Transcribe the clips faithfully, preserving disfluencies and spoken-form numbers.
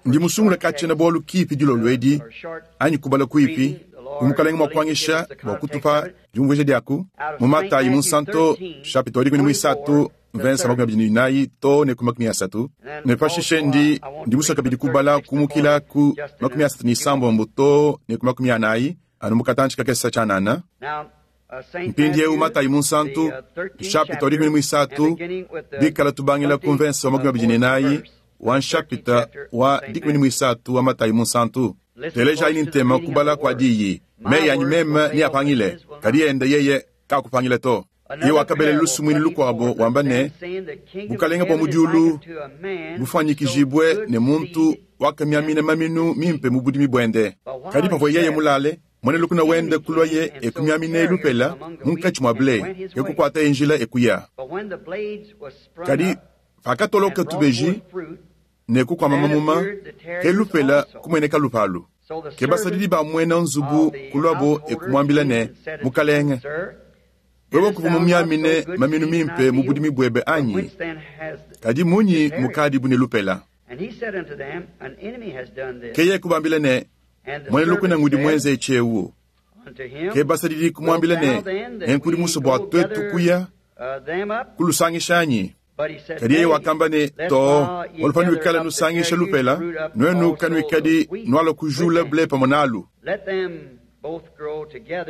Ndi musungule ka tshiena-bualu kipi dilolo edi, anyi kubala kuipi, bu Mukalenge mua kuanyisha bua kutupa diumvuija diaku, mu Matayi Munsanto, nshapita wa dikumi ne muisatu, mvensa makumi abidi ne inayi too ne ku makumi asatu, ne pashishe ndi, ndi musue kabidi kubala kumukila ku makumi asatu ne isambombo too ne ku makumi anayi, anu mu katantshi kakese tshianana. Mpindieu Matayi Munsantu, nshapita wa dikumi ne muisatu, bikala tubangila ku mvensa wa makumi abidi ne inayi wa nshapita wa dikumi ne muisatu wa Matayi Munsantu. Telejayi ne ntema kubala kua diyi. Meyi anyi meme neapangile, kadi ende yeye kakupangila to. Yeye wakabela lusumuinu lukuabo wamba ne, Bukalenge bua mu diulu bufuanyikijibue ne muntu wakamiamina maminu mimpe mu budimi buende. Kadi pavua yeye mulale, muena lukuna wende kuluaye e kumiaminaye lupela munkatshi mua ble, e kukuataye njila e kuya. Kadi pakatoloka tubeji ne kukuama mamuma, ke lupela kumueneka lupalu. Ke basadidi ba muena nzubu kuluabo e kumuambila ne, Mukalenge, wewe kuvua mumiamine maminu mimpe mu budimi buebe anyi? Kadi munyi mukadibu ne lupela? Ke yeye kubambila ne, Muena lukuna ngudi muenze etshi ewu. Ke basadidi kumuambila ne, Nenku udi musue bua tuetu kuya kulusangisha anyi? Kadi yeye wakamba ne, Too, bualu panuikala nusangisha lupela, nuenu kanuikadi nualua kujula ble pamue nalu.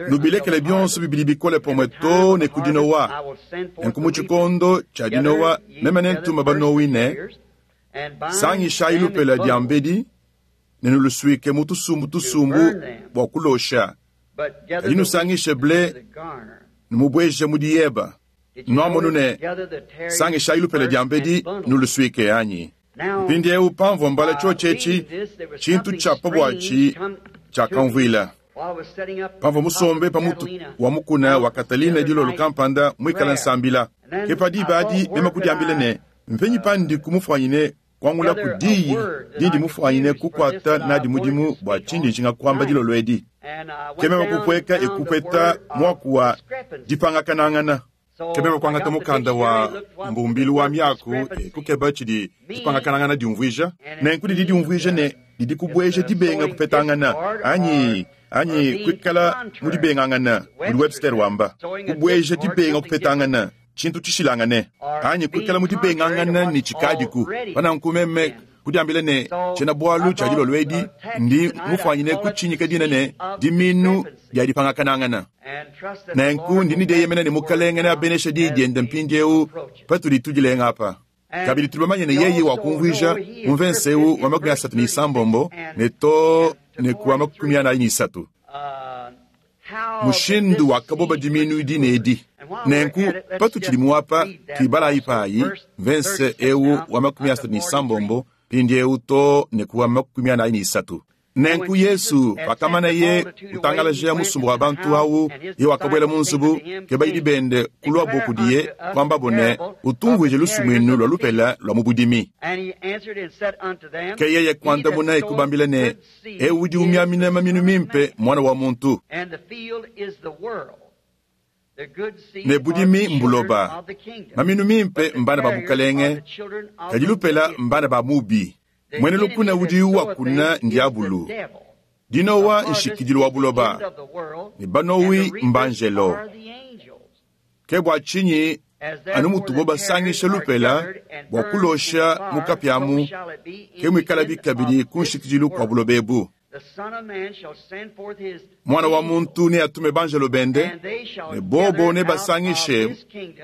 Nubilekele bionso bibidi bikole pamue too ne ku dinowa. Nenku mu tshikondo tshia dinowa meme nentume banowi ne, Sangishayi lupela diambedi ne nulusuike mu tusumbu tusumbu bua kulosha, kadi nusangishe ble numubueje mu diyeba. Nuamonu ne, sangishayi lupela diambedi nulusuike anyi? Mpindieu pamvua mbala tshiotshi etshi, tshintu tshia pa buatshi tshiakamvuila. Pamvua musombe pa mutu wa mukuna wa Catalina dilolo kampanda muikale nsambila, ke pa diba adi meme kudiambila ne, Mpenyi pandiku mufuanyine kuangulaku diyi dindi mufuanyine kukuata nadi mudimu bua tshindi njinga kuamba dilolo edi? Ke meme kupueka e kupeta muaku wa dipangakanangana. Ke meme kuangata mukanda wa mbumbilu wa miaku e kukeba tshidi dipangakanangana diumvuija. Nenku didi diumvuija ne, didi kubueja dibenga kupetangana anyi anyi kuikala mu dibengangana, mudi Webster wamba, kubueja dibenga kupetangana, tshintu tshishilangane, anyi kuikala mu dibengangana ne tshikadiku. Pa nanku meme kudiambila ne, tshiena-bualu tshia dilolo edi ndi mufuanyine kutshinyika dina ne, Dimiinu dia dipangakanangana. Nenku ndi ne dieyemena ne Mukalenge neabeneshe Diyi diende mpindieu patudi tudilenga apa. Kabidi tudi bamanye ne yeye wakumvuija mu mvense eu wa makumi asatu ne isambombo ne too ne ku wa makumi anayi ne isatu mushindu wakaboba dimiinu dine edi. Nenku patutshidi muapa, tuibalayi payi mvense eu wa makumi asatu ne isambombo mpindieu too ne ku wa makumi anayi ne isatu. Nenku Yesu pakamanaye kutangalaja musumba wa bantu awu, yeye wakabuela mu nzubu, ke bayidi bende kuluabo kudiye, kuambabo ne, Utumvuije lusumuinu lua lupela lua mu budimi. Ke yeye kuandamuna e kubambila ne, Eu udi umiamina maminu mimpe mMuana wa muntu, ne budimi mbuloba. Maminu mimpe mbana ba bukalenge, kadi lupela mbana ba mubi. Muena lukuna udi wakuna ndiabulu. Dinowa nshikidilu wa buloba, ne banowi mbanjelo. Ke bua tshinyi anu mutubo basangisha lupela bua kulosha mu kapia amu, ke muikalabi kabidi ku nshikidilu kua buloba ebu. Muana wa muntu neatume banjelo bende, ne bobo nebasangishe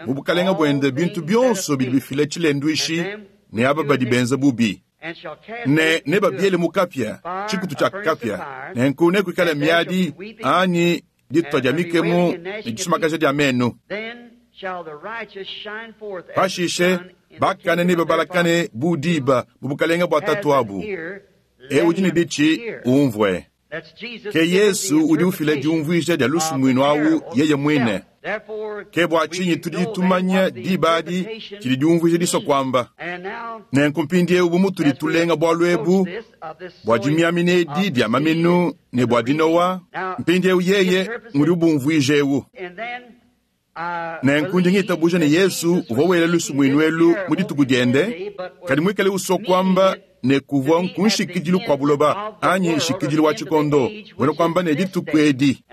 mu bukalenge buende bintu bionso bidi bifila tshilenduishi ne aba badi benza bubi, ne nebabiele mu kapia, tshikutu tshia kapia. Nenku nekuikale miadi anyi ditua dia mikemu ne disumakaja dia menu. Pashishe bakane nebabalakane bu diba mu bukalenge bua Tatuabu. Eu udi ne ditshi, umvue. Ke Yesu udi ufila diumvuija dia lusumuinu au yeye muine. Ke bua tshinyi tudi tumanya diba adi tshidi diumvuija disua kuamba. Nenku mpindieu bu mutudi tulenga bualu ebu bua dimiamina edi dia maminu ne bua dinowa, mpindieu yeye ngudi ubumvuija eu. Nenku ndi ngitabuja ne Yesu uvua wela lusumuinu elu mu dituku diende, kadi muikale usua kuamba ne kuvua nkunshikidilu kwa buloba anyi nshikidilu wa tshikondo buena kuamba ne dituku edi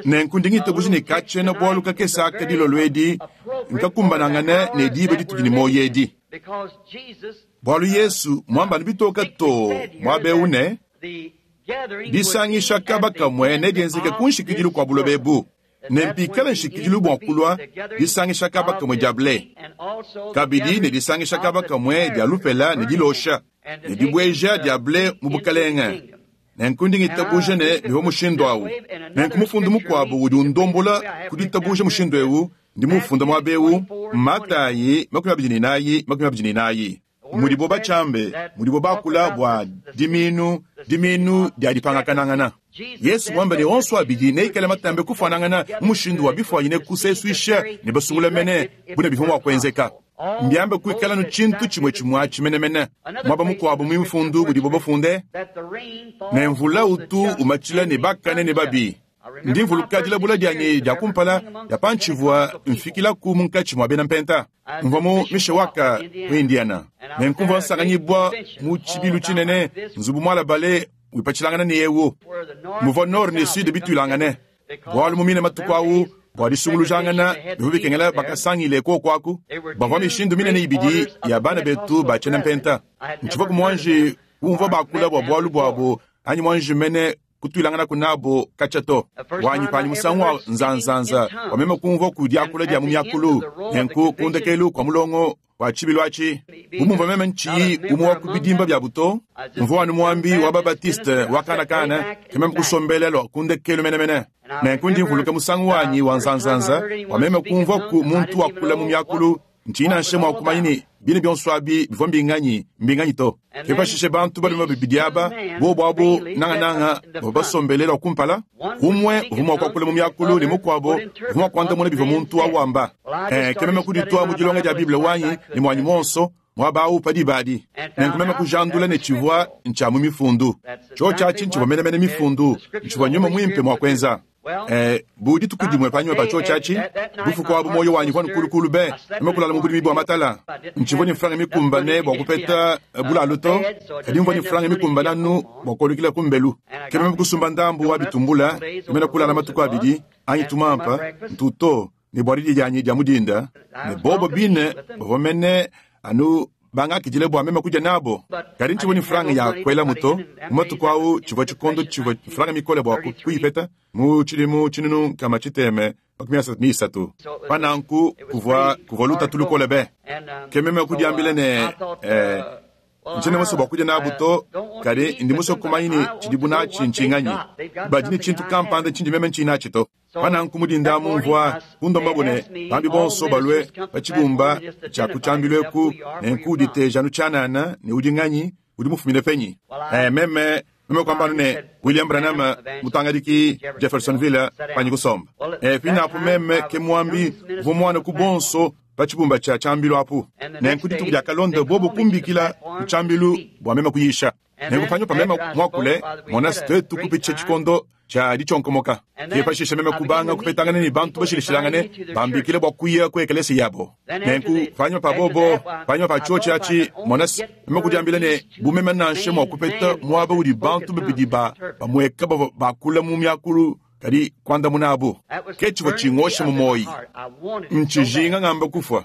nenku ndi ngitabuja ne katshiena bualu kakese aka dilolo edi nkakumbanangane ne diba ditudi ne muoyo edi bualu Yesu muambanu bitoka to muaba eu ne disangisha kaba kamue nedienzeke ku nshikidilu kua buloba ebu ne mpikala nshikidilu bua kulua disangisha kaba kamue dia ble kabidi ne disangisha kaba kamue dia lupela ne dilosha ne dibueja dia ble mu bukalenge nenku ndi ngitabuja ne bivua mushindu awu nenku mufundu mukuabu udi undombola ku ditabuja mushindu ewu ndi mufunda muaba ewu Matayi makumi abidi ne inayi makumi abidi ne inayi mudibo batshiambe mudibo bakula bua diminu diminu dia dipangakanangana Yesu mwamba ne onso abidi neikale matambe kufuanangana mu mushindu wa bifuanyine kusesuisha ne basungula mene bune bivua mua kuenzeka mbiambe kuikala nu tshintu tshimue tshimue tshimenemene muaba mukuabu mu mifundu mudibo bafunde ne mvula utu umatshila ne bakane ne babi ndi mvuluka dilabula dianyi dia kumpala dia pantshivua mfikilaku munkatshi mua bena mpenta mvua mu Mishawaka mu Indiana nenku mvua nsanganyibua mu tshibilu tshinene nzubu mualabale wipatshilangana ne ewu muvua nord ne sud bituilangane bualu mu mine matuku awu bua disungulujangana bivua bikengela bakasangile kuoku aku bavua mishindu minene ibidi ya bana betu ba tshiena mpenta ntshivua ku muanji umvua bakula bua bualu buabu anyi muanji mene kutuilangana kunabo katshia to wanyi panyi musangu wa nzanzanza wameme kumvua ku diakula dia mu miakulu nenku kundekelu kua mulongo wa tshibilu atshi bu mumvua meme ntshiyi umue wa ku bidimba bia buto mvua anu muambi wa babatiste wa kanakana ke meme kusombela lua kundekelu menemene nenku ndi mvuluka musangu wanyi wa nzanzanza wameme kumvua ku muntu wakula mu miakulu ntshiyi nansha mua kumanya ne bine bionso abi bivua mbinganyi mbinganyi to ke pashishe bantu balume babidi aba bobo abo nangananga bavua basombele lua kumpala umue uvua mua kuakula mu miakulu ne mukuabo uvua mua kuandamuna bivua muntu awamba eh, ke meme kuditua mu dilonga dia Bible wanyi ne muanyi muonso muaba awu pa diba adi nenku meme kujandula ne tshivua ntshia mu mifundu tshiotshi atshi ntshivua menemene mifundu ntshivua nyuma muimpe mua kuenza Eh, bu dituku dimue panyima pa tshiotshi atshi bufuku abu muoyo wanyi vua nkulukulu be meme kulala mu budimi bua matala ntshivua ne franga mikumbane bua kupeta bulalu to kadi mvua ne franga mikumbane anu bua kuolukila ku mbelu ke meme kusumba ndambu wa bitumbula meme kulala matuku abidi anyi tumampa ntuto ne bua didi dianyi dia mudinda ne bobo bine bavua mene anu bangakidile bua meme kudia nabo kadi ntshivua ne franga ya kuela muto mu matuku awu tshivua tshikondo tshivua franga mikole bua kuyipeta mu tshidimu tshinunu nkama tshiteme makumi asatu ne isatu pa nanku kuvua kuvua lutatu lukole be ke meme kudiambila ne eh, ntshiena musue bua kudia nabu to kadi ndi musue kumanya ne tshidibu natshi ntshinganyi badi ne tshintu kampanda tshindi meme ntshiyi natshi to pa nanku mudinda mumvua kundomba ne bambi bonso balue pa tshibumba tshia ku tshiambilu eku nenku uditeja anu tshianana ne udi nganyi udi mufumine penyi eh, meme meme kuamba ne William Branham mutangadiki Jeffersonville panyi kusomba eh, pinapu meme ke muambi uvua muana ku bonso pa tshibumba tshia tshiambilu apu nenku dituku dia kalonda bobo kumbikila ku tshiambilu bua meme kuyisha nenku panyima pa meme muakule mona twetu kupitsha tshikondo tshia ditshionkomoka ke pashishe meme kubanga kupetangana ne bantu bashilashilangane bambikile bua kuya ku ekelesi yabo nenku panyima pa bobo panyima pa tshiotshi atshi mona meme kudiambila ne bu meme nansha mua kupeta muaba udi bantu babidi ba bamueka bavua bakula mu miakulu kadi kuandamuna abu ke tshivua tshingosha mu moyi ntshijinga ngamba kufua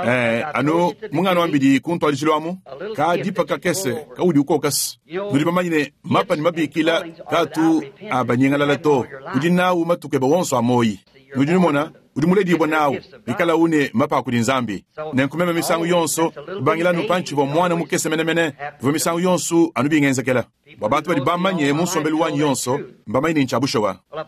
Eh, anu mungano wambidi kuntwalishilo amu ka dipa kakese kaudi ukokasi nudi bamanye ne mapa ne mabikila katu abanyengalala to udi nawu matuku eba wonso amoyi nudi numona udi muledibua nawu ikala une mapa akudi nzambi nenku meme misangu yonso kubangila pantshivua mwana mukese menemene bivua misangu yonso anu bingenzekela bua bantu badi bamanye mu nsombelu wanyi yonso mbamanye ne ntshia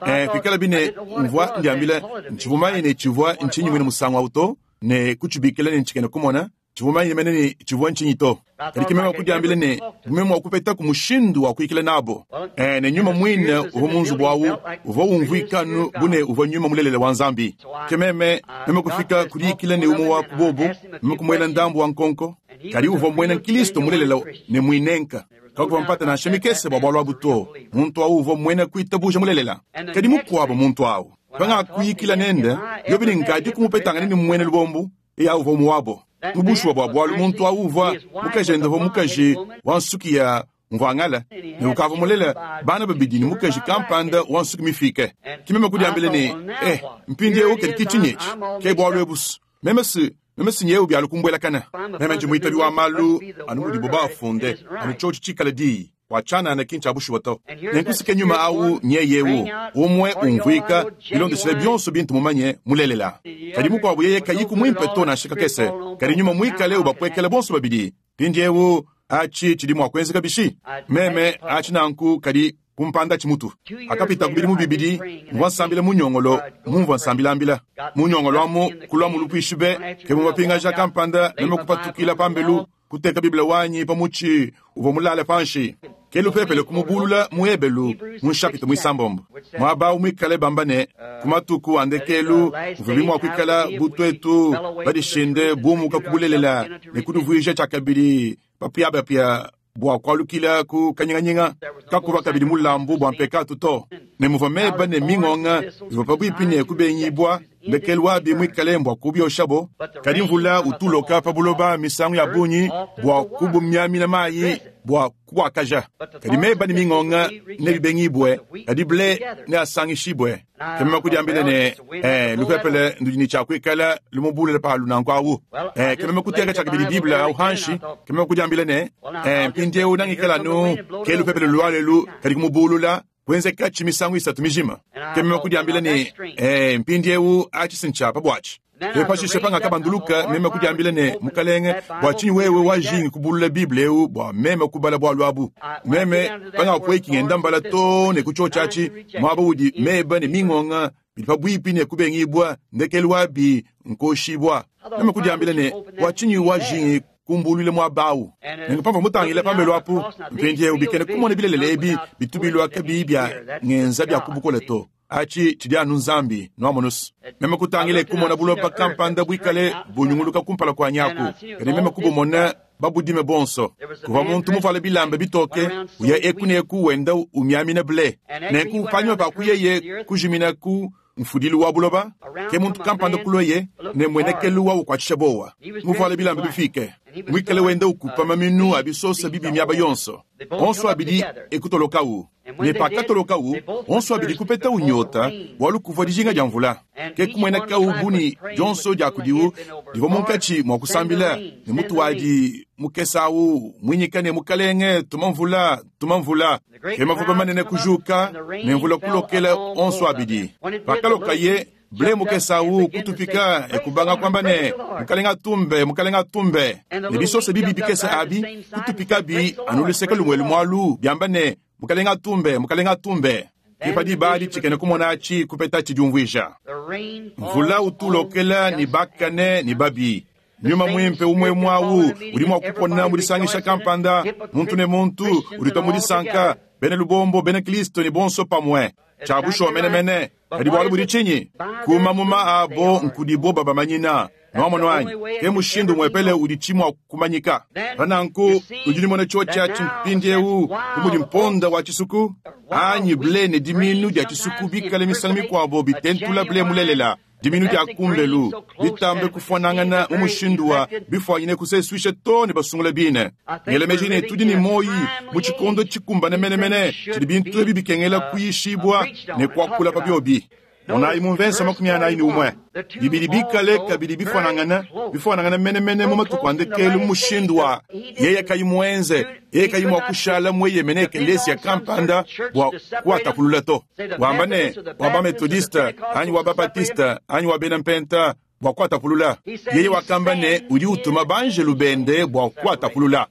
eh, kuikala bine mvua ndiambila ntshivua manye ne tshivua ntshinyi mwine musangu awu to ne kutshibikila ne ntshikene kumona tshivua manye mene ne tshivua ntshinyi to kadi ke meme kudiambila ne meme mua kupetaku mushindu wa kuyikila nabo eh, ne nyuma muine uvua mu nzubu awu uvua umvuika anu bu ne uvua nyuma mulelela wa nzambi ke meme meme kufika kudiyikila ne umue wa ku bobo meme kumuela ndambu wa nkonko kadi uvua muena nkristo mulelela ne muinenka kakuvua mpata nansha mikese bua bualu abu to muntu awu uvua muena kuitabuja mulelela kadi mukuabo muntu awu pangakuyikila nende yobi ne nkadi kumupetangana ne muena lubombu eya uvua muwabo Mu bushuwa bua bualu muntu awu uvua mukajende uvua mukaji wa nsuki ya mvwangala ne ukavua mulela bana babidi ne mukaji kampanda wa nsuki mifike. Ke meme kudiambila ne, eh, mpindieu kadi ke tshinyi etshi? Ke bualu ebu. Meme si meme si nyewu bialu kumbuelakana. Meme ndi muitabi wa malu anu mudibo baafunde, anu tshiotshi tshikale diyi. Bua tshianana ki ntshia bushuwa to. Nenkusike nyuma awu nyeyewu umue umvuika bilondeshile bionso bintu mumanye mulelela. Kadi mukuabu yeye kayiku muimpe to nansha kakese. Kadi nyuma muikale ubapuekela bonso babidi. Mpindiewu atshi tshidi mua kuenzeka bishi? Meme atshi nanku kadi kumpanda tshimutu. Akapita ku bidimu bibidi, mvua nsambila mu nyongolo, mumvua nsambilambila. Mu nyongolo amu kulua mu lupuishi be, ke mumapingaja kampanda meme kupatukila pambelu, kuteka Biblia wanyi pa mutshi uvua mulale panshi. Ke lupepele kumubulula mu Ebelu mu nshapita muisambombo. Muaba awu muikale bamba ne, ku matuku a ndekelu muvua bimua kuikala bu twetu badishinde bumuka ku bulelela ne kudivuija tshiakabidi bapiabapia bua kualukila ku kanyinganyinga. Kakuva kabidi mulambu bua mpekatu to. Ne muvua meba ne mingonga bivua pabuipi ne kubengibua, ndekelu wabi muikale mbua kubioshabo. Kadi mvula utuloka pa buloba misangu ya bungi bua kubumiamina mayi bua kubuakaja. Kadi meba ne mingonga nebibengibue, kadi ble neasangishibue. Ke meme kudiambila ne, eh, lupepele ndudi ne tshiakuikala lumubulule palu nanku awu. Eh, ke meme kuteka tshiakabidi Bible awu hanshi. Ke meme kudiambila ne, eh, mpindieu nangikala anu ke lupepele lualelu kadi kumubulula kuenzeka tshi misangu isatu mijima. Ke meme kudiambila ne, eh, mpindieu atshi si ntshia pa buatshi. Ke pashishe pangakabanduluka meme kudiambila ne, Mukalenge, bua tshinyi wewe wajingi kubulula Bible eu bua meme kubala bualu abu? Meme pangapueki ngenda mbala to ne ku tshiotshi atshi, muaba udi meba ne mingonga bidi pabuipi ne kubengibua, ndekelu wabi nkoshibua. Meme kudiambila ne, bua tshinyi wajingi kumbuluile muaba awu? Nenku pamvua mutangile pambelu apu, mpindieu bikene kumona bilele ebi bitu bilua kabiyi bia ngenza bia kubukole to. Atshi tshidi anu Nzambi nwamonusu. Meme kutangile kumona buloba kampanda buikale bunyunguluka kumpala kua nyaku. Kadi meme kubumona babudime bonso. Kuvua muntu muvuale bilamba bitoke, uya eku ne eku wenda umiamina ble. Nenku panyima pa kuyeye kujimina ku mfudilu wa buloba, ke muntu kampanda kuloye ne mwenekelu wa ukwatshisha bowa. Muvuale bilamba bifike, muikale wenda ukupa maminu a bisosa bibi miaba yonso. Onso abidi ekutolokawu. Ne pakatolokawu, onso abidi kupeta unyota, bualu kuvua dijinga dia mvula. Ke kumwenekawu buni dionso dia kudiwu divua munkatshi mua kusambila ne mutu wadi mukesawu mwinyika ne mukalenge tuma mvula, tuma mvula. Ke mavuba manene kujuka ne mvula kulokela onso abidi. Pakalokaye ble mukesawu kutupika ekubanga kwamba ne mukalenga tumbe, mukalenga tumbe. Ne bisosa bibi bikesa abi kutupika bi anuluseka lumwe lumwalu byamba ne mukalenga tumbe, mukalenga tumbe. Ke padi badi tshikene kumona atshi kupeta tshidiumvuija. Mvula utulokela ni bakane ni babi. Nyuma mwimpe umwe mwawu udi mua kupona mu disangisha kampanda, muntu ne muntu udi mu disanka, bene lubombo bene Kristo ni bonso pamue. Tshia bushuwa menemene. Kadi bualu budi tshinyi? Kumamuma abo nkudibo babamanyina. Nwamono anyi? Ke mushindu mwepele udi tshimua kumanyika. Pananku udi nimona tshiotshi tshimpindiewu kumudi mponda wa tshisuku anyi ble ne diminu dia tshisuku bikale misangu mikuabo bitentula ble mulelela. Diminu dia kumbelu bitambe kufuanangana mu mushindu wa bifuanyine kusesuisha to ne basungula bine. Ngelemeji ne tudi ne moyi mu tshikondo tshikumbane menemene tshidi bintu ebi bikengela kuyishibua ne kuakula pa biobi. Monayi mu mvensa makumi anayi ne umue. Bibidi bikale kabidi bifuanangana, bifuanangana menemene mu matuku a ndekelu mu mushindu wa yeye kayi muenze, yeye kayi mua kushala mweyemene ekelesia kampanda bua kuatapulula to. Wamba ne, wa ba Methodiste, anyi wa ba Baptiste, anyi wa bena Mpenta bua kuatapulula. Yeye wakamba ne, udi utuma banjelu bende bua kuatapulula.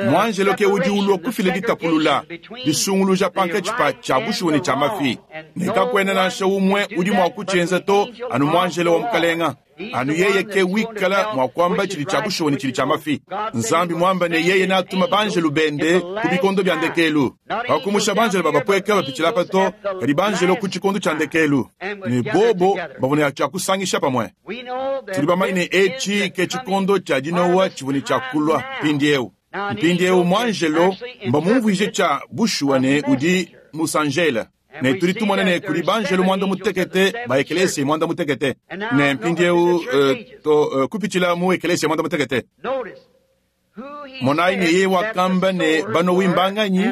Mwanjelo ke udi ulua kufila ditapulula, disunguluja pankatshi pa tshia bushuwa ne tshia mafi. Ne kakuena nansha umue udi mua kutshienza to anu mwanjelo wa mukalenga. Anu yeye ke wikala mua kuamba tshidi tshia bushuwa ne tshidi tshia mafi. Nzambi mwamba ne yeye natuma banjelu bende ku bikondo bia ndekelu. Pakumusha banjelo babapweka bapitshila pa to, kadi banjelo ku tshikondo tshia ndekelu. Ne bobo bavua ne tshia kusangisha pamue. Tudi bamanye ne etshi ke tshikondo tshia dinowa tshivua ne tshia kulua mpindieu. Mpindieu mwanjelo mbamumvuije tshia bushuwa ne udi musanjela. Ne tudi tumona ne kudi banjelu muanda mutekete ba ekelesia muanda mutekete. Ne mpindieu uh, to uh, kupitshila mu ekelesia muanda mutekete. Monayi ne yeye wakamba ne banowi mbanganyi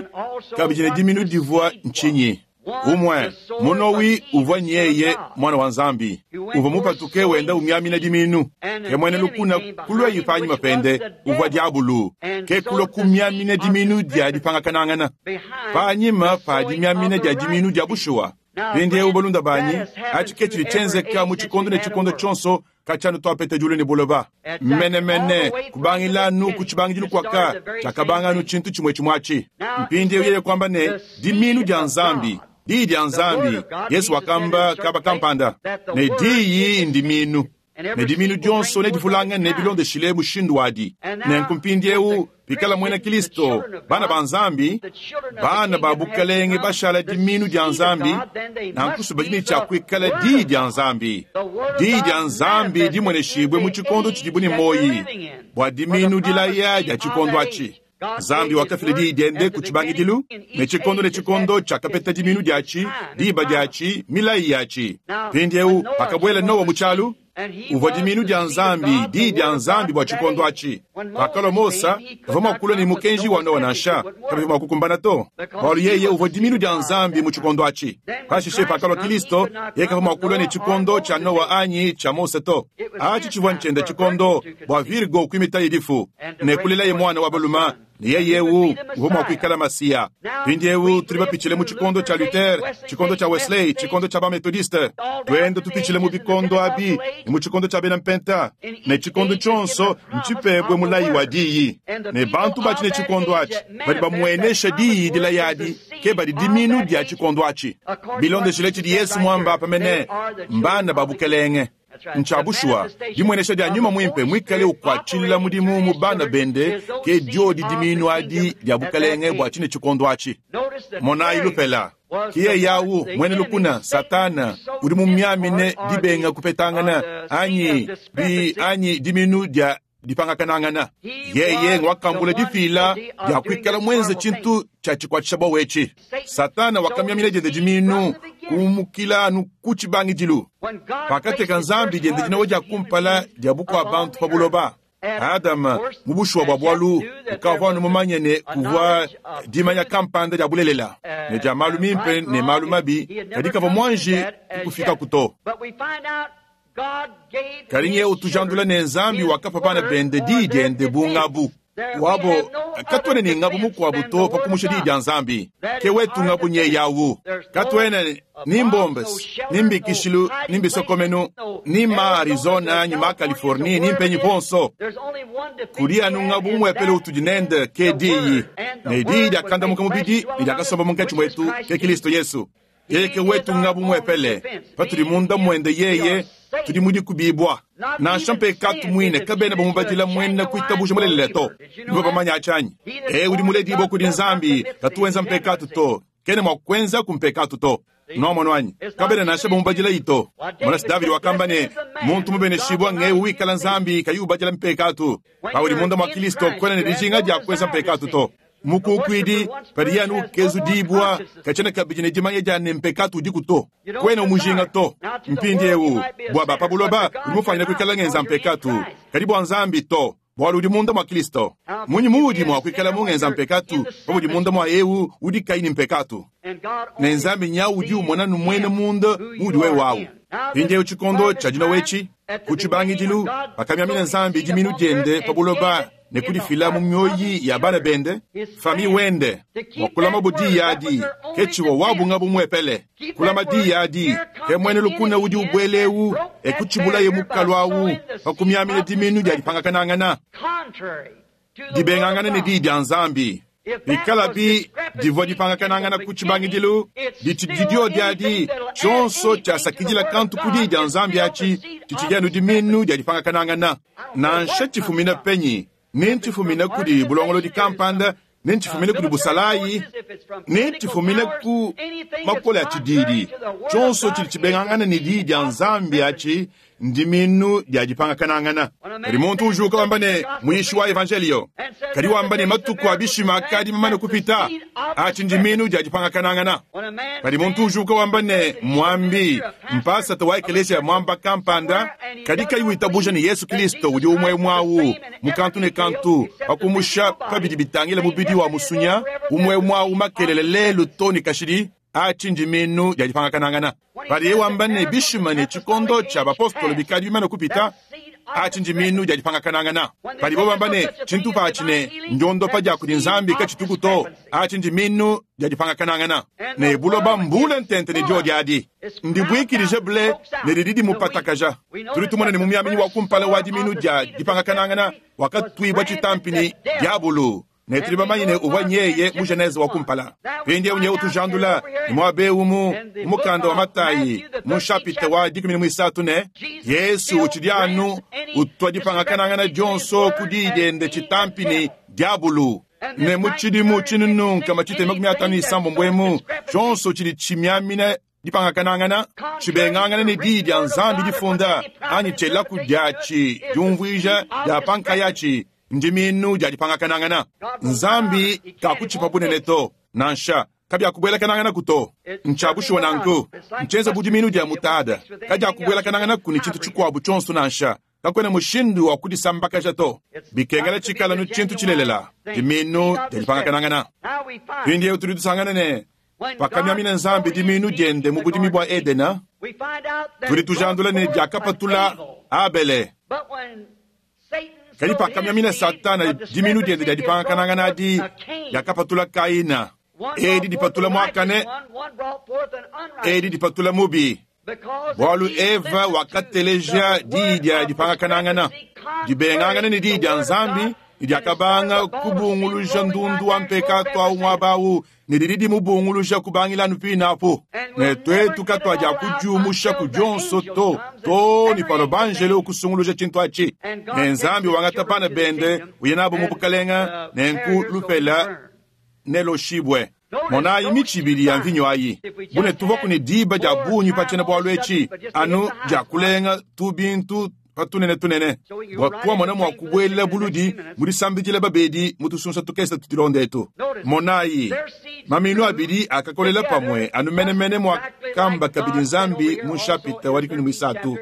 kabidi ne diminu divua ntshinyi. Umwe munowi uvua nyeye mwana wa Nzambi uvua mupatuke wenda umyamina diminu ke mwene lukuna kulwa yipanyima pende uvua diabulu ke kulwa kumyamina diminu dia dipangakanangana panyima pa dimyamina dia diminu dia bushuwa. Mpindieu balunda banyi achi ke tshidi tshienzeka mu tshikondo ne tshikondo tshionso katshianu twapeta diulu ne buloba menemene kubangilanu ku tshibangidilu kwaka tshiakabanganu tshintu tshimue tshimue atshi. Mpindieu yeye kwamba ne diminu dia Nzambi diyi dia Nzambi Yesu wakamba kaba kampanda ne diyi ndiminu ne diminu dionso nedivulangane bilondeshile mushindu wadi. Nenku mpindieu pikala mwena Kristo bana ba Nzambi bana ba bukalenge bashala diminu dia Nzambi nankusu badi ne tshia kuikala diyi dia Nzambi. Diyi dia Nzambi dimweneshibwe mu tshikondo tshidibu ne moyi bua diminu dilaya dia tshikondo atshi. Nzambi wakafila diyi diende ku tshibangidilu ne tshikondo ne tshikondo tshiakapeta diminu diatshi diba diatshi milayi yatshi. Mpindieu pakabuela Noa mu tshialu uvua diminu dia Nzambi diyi dia Nzambi bua tshikondo atshi. Pakalua Mosa kavua mua kulua ne mukenji wa Noa nansha kabivua mua kukumbana to bualu yeye uvua diminu dia Nzambi mu tshikondo atshi. Pashishe pakalua Kristo yeye kavua mua kulua ne tshikondo tshia Noa anyi tshia Mose to. Atshi tshivua ntshiende tshikondo bua Virgo kuimitaye difu ne kulelaye mwana wa baluma ne yeye uvua mua kuikala Masiya. Mpindieu tudi bapitshile mu tshikondo tshia Luther, tshikondo tshia Wesley, tshikondo tshia Bamethodiste, tuenda tupitshile mu bikondo abi ne mu tshikondo tshia bena Mpenta ne tshikondo tshionso ntshipebwe mulayi wa diyi ne bantu batshi ne tshikondo atshi badi bamuenesha diyi dilayadi ke badi diminu dia tshikondo atshi bilondeshile tshidi Yesu mwamba pamene mbana ba bukelenge. Ntsha bushuwa dimwenesha dia nyuma mwimpe mwikale ukwatshilila mudimu mu bana bende ke diodi diminu adi dia bukalenge bua tshine tshikondo atshi. Monayi lupela kiye yawu mwene lukuna Satana udi mumyamine dibenga kupetangana anyi bi anyi diminu dia dipangakanangana. Yeye ngwakambula difila dia kuikala mwenze tshintu tshia tshikwatshisha bwawetshi. Satana wakamyamina diende diminu kumukila anu ku tshibangidilu. Pakateka Nzambi diende dinawa dia kumpala dia bukua bantu pa buloba. Adama mu bushuwa bua bwalu ukavua anu mumanye ne kuvua dimanya kampanda dia bulelela ne dia malu mimpe ne malu mabi kadi kavua mwanji kukufika kuto. Kadi nye utujandula ne Nzambi wakapa bana bende diyi diende bungabu wabo katwene ne ngabu mukuabu to pakumusha diyi dia Nzambi ke wetu ngabu nye yawu katwene ni mbombes ni mbikishilu ni mbisokomenu ni ma Arizona ni ma Californie ni mpenyi ponso kuli anu ngabu mwepele utudi nende ke diyi ne diyi diakandamuka mubidi ne diakasomba munkatshi mwetu ke Kristo Yesu. Yeye ke wetu ngabu mwepele patudi munda mwende yeye tudi mudi kubibwa nansha mpekatu mwine kabena bamubadila mwene kuitabusha mulelela to nibo bamanya achanyi e udi muledibwa kudi Nzambi katuwenza mpekatu to kene mwa kwenza kumpekatu to nomona wanyi kabena nansha bamubadila ito monasi Davidi wakamba ne muntu mubeneshibwa ngewe wikala Nzambi kayi ubadila mpekatu paudi munda mwa Kristo kwena ne dijinga dia kwenza mpekatu to mukukwidi padi yanu kezu dibwa kachena kabidi ne dimanya dia ne mpekatu udiku to kwena umujinga to mpindiewu bua ba pa buloba udi mufanyina kuikala ngenza mpekatu kadi bua Nzambi to bualu udi munda mwa Kristo munyi muudi mua kuikala mungenza mpekatu paudi munda mwa ewu udi kayi ne mpekatu ne Nzambi nyawu udi umona numwene munda muudi wewawu. Mpindiewu tshikondo tshia dina wetshi ku tshibangidilu pakamyamina Nzambi diminu diende pa buloba ne kudifila mu mioyi ya bana bende fami wende wakulama budi yadi ke tshiwa wabunga bumwepele kulama di yadi ke mwene lukuna udi ubwelewu ekutshibulaye mukalu awu pakumyamina diminu dia dipangakanangana dibengangana ne diyi dia Nzambi. Bikalabi divua dipangakanangana ku tshibangidilu ditshidi diadi tshionso tshiasakidila kantu ku diyi dia Nzambi atshi tshitshidi diminu dia dipangakanangana nansha tshifumina penyi ne ntshifumina kudi bulongolodi kampanda ne ntshifumina kudi busalayi ne ntshifumina ku makole a tshididi tshionso tshidi tshibengangana ne diyi dia Nzambi atshi ndiminu dia dipangakanangana. Kadi muntu ujuka wamba ne muyishi wa evangelio, kadi wamba ne matuku a bishima akadi mamane kupita, atshi ndiminu dia dipangakanangana. Kadi muntu ujuka wamba ne mwambi mpasata wa ekelesia mwamba kampanda, kadi kayi witabuja ne Yesu Kristo udi umwe mwawu mukantu ne kantu pakumusha pabidi bitangila mubidi wa musunya umwe mwawu makelele lelu to ne kashidi, atshi ndiminu dia dipangakanangana. Padiye wamba ne bishima ne tshikondo tshia bapostolo bikadi bimane kupita, atshi ndiminu dia dipangakanangana. Padibo bamba ne tshintu patshi ne ndiondopa dia kudi Nzambi katshituku to, atshi ndiminu dia dipangakanangana. Ne buloba mbule ntente ne dio diadi ndibuikilije ble ne didi dimupatakaja. Tudi tumona ne mumiaminyi wa kumpala wa diminu dia dipangakanangana wakatuibwa tshitampi ni diabulu. Ne tudi bamanye ne uvua nyeye mu Genese wa kumpala. Mpindieu nyewu tujandula ne muaba mu mukanda wa Matayi mu chapitre wa dikumi ne muisatu ne Yesu utshidi anu utua dipangakanangana dionso ku diyi diende tshitampi ni diabulu. Ne mu tshidimu tshinunu nkama tshitema makumi atanu ne isambombo emu tshionso tshidi tshimiamina dipangakanangana tshibengangana ne diyi dia Nzambi difunda anyi tshielaku diatshi diumvuija dia pankayatshi ndiminu dia dipangakanangana. Nzambi kakutshipa bunene to nansha kabiakubwelakanangana kuto ntshabushiwa nanku nchenza budiminu dia mutada kadiakubwelakanangana ku ne tshintu tshikuabu tshionso nansha kakwena mushindu wa kudisambakaja to bikengela tshikala nu tshintu tshilelela diminu dia dipangakanangana. Mpindieu tudi tusangana ne pakamiamina Nzambi diminu diende mu budimi bua Edena, tudi tujandula ne diakapatula Abele. Kadi pakamiamina Satana diminu diende dia dipangakanangana adi diakapatula Kaina. Edi dipatula muakane, edi dipatula mubi. Bualu Eva wakateleja diyi dia dipangakanangana dibengangana ne diyi dia Nzambi diakabanga kubunguluja ndundu wa mpekatu awu muaba awu ne didi dimubunguluja kubangila anu pinapo. Ne twetu katwadi kudiumusha ku dionso to to ni pano banjelo kusunguluja tshintu atshi. Ne Nzambi wangata bana bende uye nabo mu bukalenga ne nku lupela neloshibwe. Monayi mitshi ibili ya mvinyo ayi bune tuvaku ne diba dia bungi pa tshiena bualu etshi anu dia kulenga tu bintu patunene tunene bua kuamona mua kubuelela buludi mu disambidila babedi mu tusunsa tukese tutilonda etu. Monayi maminu abidi akakolela pamwe anu menemene mua kamba kabidi Nzambi mu chapitre wa dikumi muisatu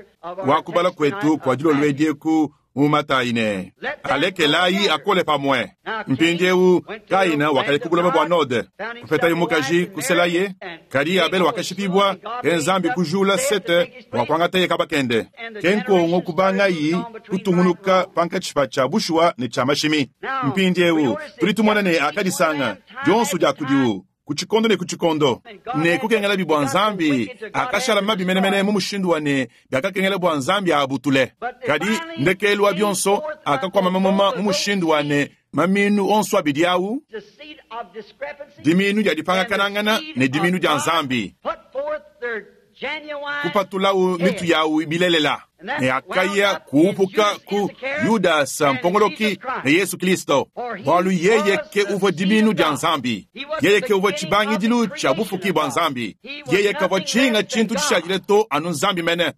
wa kubala kwetu kwa dilolo edieku mu Matayi ne alekelayi akole pamwe. Mpindieu Kaina wakalekubulaba bua Node kupetaye mukaji kuselaye, kadi Abel wakashipibwa ke Nzambi kujula Sete bua kuangataye kabakende. Ke nkongo kubangayi kutungunuka pankatshi tshia bushuwa ne tshia mashimi. Mpindieu tudi tumona ne akadisanga dionso dia kudiwu ku tshikondo ne ku tshikondo ne kukengela bibwa Nzambi akashala mabi menemene mu mushindu wa ne biakakengela bwa Nzambi abutule. Kadi ndekelu wa bionso akakwama mamuma mu mushindu wa ne maminu onso abidi awu diminu dia dipangakanangana ne diminu dia Nzambi kupatulawu mitu yawu bilelela ne akaya kuupuka ku Yudasa mpongoloki ne Yesu Kristo bualu yeye ke uvua diminu dia Nzambi, yeye ke uvua tshibangidilu tshia bufuki bua Nzambi, yeye kavua tshinga tshintu tshishadile to anu Nzambi mene.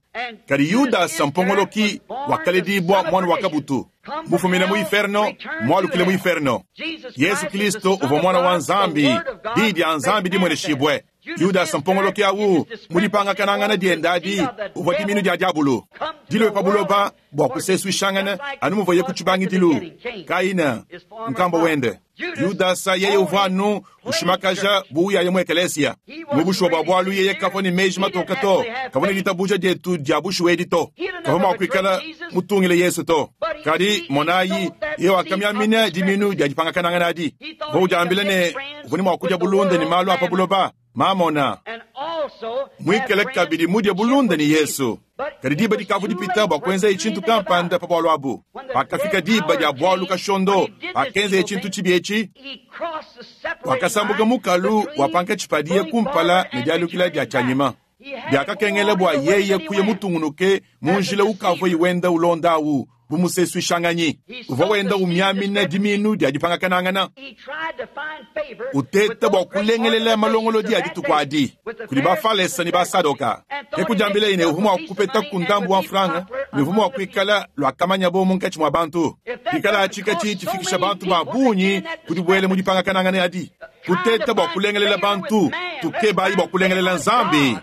Kadi Yudasa mpongoloki wakaledibwa mwana wa kabutu mufumine mu inferno mwalukile mu inferno. Yesu Kristo uvua mwana wa Nzambi, diyi dia Nzambi dimweneshibwe. Yudasa mpongoloki awu mudipangakanangana diende adi uvua diminu dia diabulu dilwe pa buloba bua kusesuishangana anu muvuaye ku tshibangidilu. Kaina nkambo wende Yudasa yeye uvua anu ushimakaja buyaye mu ekelesia mu bushuwa bua bualu yeye kavua ne meji matoka to, kavua ne ditabuja dietu dia bushuwa edi to, kavua mua kuikala mutungile Yesu to. Kadi monayi yeye wakamiamina diminu dia dipangakanangana adi uvua udiambila ne uvua ne mua kudia bulunda ne malu a pa buloba mamona mwikele kabidi mudie bulunda ni Yesu. Kadi diba dikavu dipita bua kuenza tshintu kampanda pa bualu abu. Pakafika diba dia bualu kashondo pakenza tshintu tshibi etshi, wakasambuka mukalu wa pankatshi padiye kumpala ne dialukila dia tshianyima. Biakakengela bua yeye kuya mutungunuke mu njila ukavua wenda ulonda awu bu musesuishanganyi. Uvua wenda umiamina dimiinu dia dipangakanangana, uteta bua kulengelela malongolodi a dituku adi kudi Bafalesa ne Basadoka. Ke kudiambileye ne uvua mua kupeta ku ndambu wa mfranga ne uvua mua kuikala luakamanyabo munkatshi mua bantu. Pikala atshi katshiyi tshifikisha bantu ba bungi ku dibuela mu dipangakanangana adi, kuteta bua kulengelela bantu, tukebayi bua kulengelela Nzambi,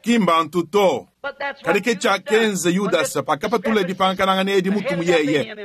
ki mbantu to. Kadi ke tshiakenza Yudasa pakapatula dipangakanangana edi mutu mu yeye.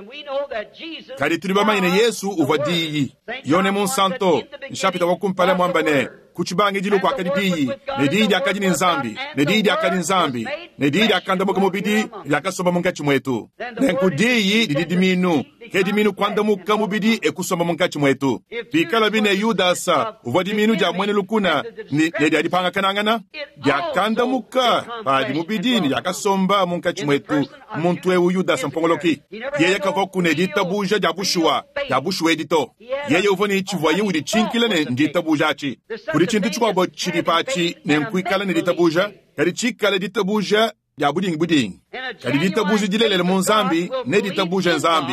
Kadi tudi bamanye ne Yesu uvua Diyi. Yone Munsanto, nshapita wa kumpala muamba ne, ku tshibangidilu kuakadi Diyi, ne Diyi diakadi ne Nzambi, ne Diyi diakadi Nzambi, ne Diyi diakandamuka mubidi, diakasomba munkatshi muetu. Nenku Diyi didi dimiinu, ke dimiinu kuandamuka mubidi e kusomba munkatshi muetu. Pikalabi ne Yudasa uvua dimiinu dia muena lukuna ne, ne dia dipangakanangana, diakandamuka padi mubidi ne diakasomba munkatshi muetu. Muntu eu Yudasa mpongoloki, yeye kavua ne ditabuja dia bushuwa dia bushuwa edi to. Yeye uvua ne tshivuaye uditshinkila ne nditabuja atshi. Kudi tshintu tshikuabo tshidi patshi ne nkuikala ne ditabuja, kadi tshikale ditabuja dia budingi budingi. Kadi ditabuja dilelela mu Nzambi ne ditabuja Nzambi,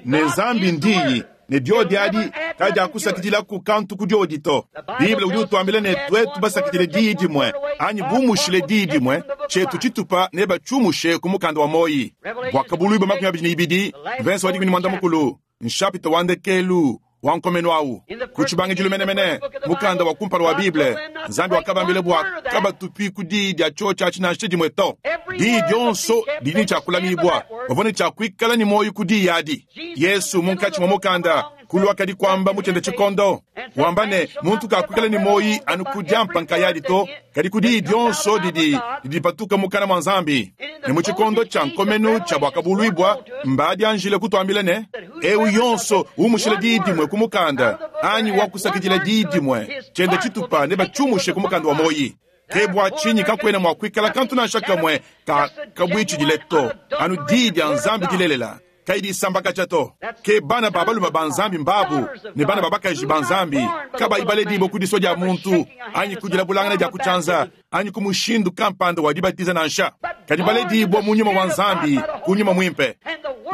ne Nzambi ndiyi, ne diodi adi kadiakusakidilaku kantu ku diodi to. Bible udi utuambila ne tuetu basakidile diyi dimue anyi bumushile diyi dimue, tshietu tshitupa ne batshiumushe ku mukanda wa moyi. Buakabuluibua makumi abidi ne ibidi, mvense wa dikumi ne muanda mukulu, nshapita wa ndekelu wa nkomenu awu. Ku tshibangidilu menemene, mukanda wa kumpala wa Bible, Nzambi wakabambila bua kabatupi ku diyi dia tshiotshi atshi nansha dimue to. Diyi dionso didi ne tshiakulamibua, bavua ne tshiakuikala ne muoyo ku diyi adi. Yesu munkatshi mua mukanda kuluakadi kuamba mu tshiende tshikondo, wamba ne muntu kakuikala ne muoyo anu ku diampa nkayadi to, kadi ku diyi dionso didi dipatuka mukana mua Nzambi. Ne mu tshikondo tshia nkomenu tshia buakabuluibua, mbadianjile kutuambila ne eu yonso umushile diyi dimue ku mukanda anyi wakusakidila diyi dimue tshiende tshitupa ne batshiumushe ku mukanda wa moyi. Ke bua tshinyi kakuena mua kuikala kantu nansha kamue ka kabuitshidile to, anu diyi dia Nzambi dilelela kayi disambakaja to. Ke bana ba balume ba Nzambi mbabu ne bana ba bakaji ba Nzambi kabayi baledibua ku disua dia muntu anyi ku dilabulangana dia ku tshianza anyi ku mushindu kampanda wa dibatiza nansha, kadi baledibua mu nyuma wa Nzambi ku nyuma muimpe,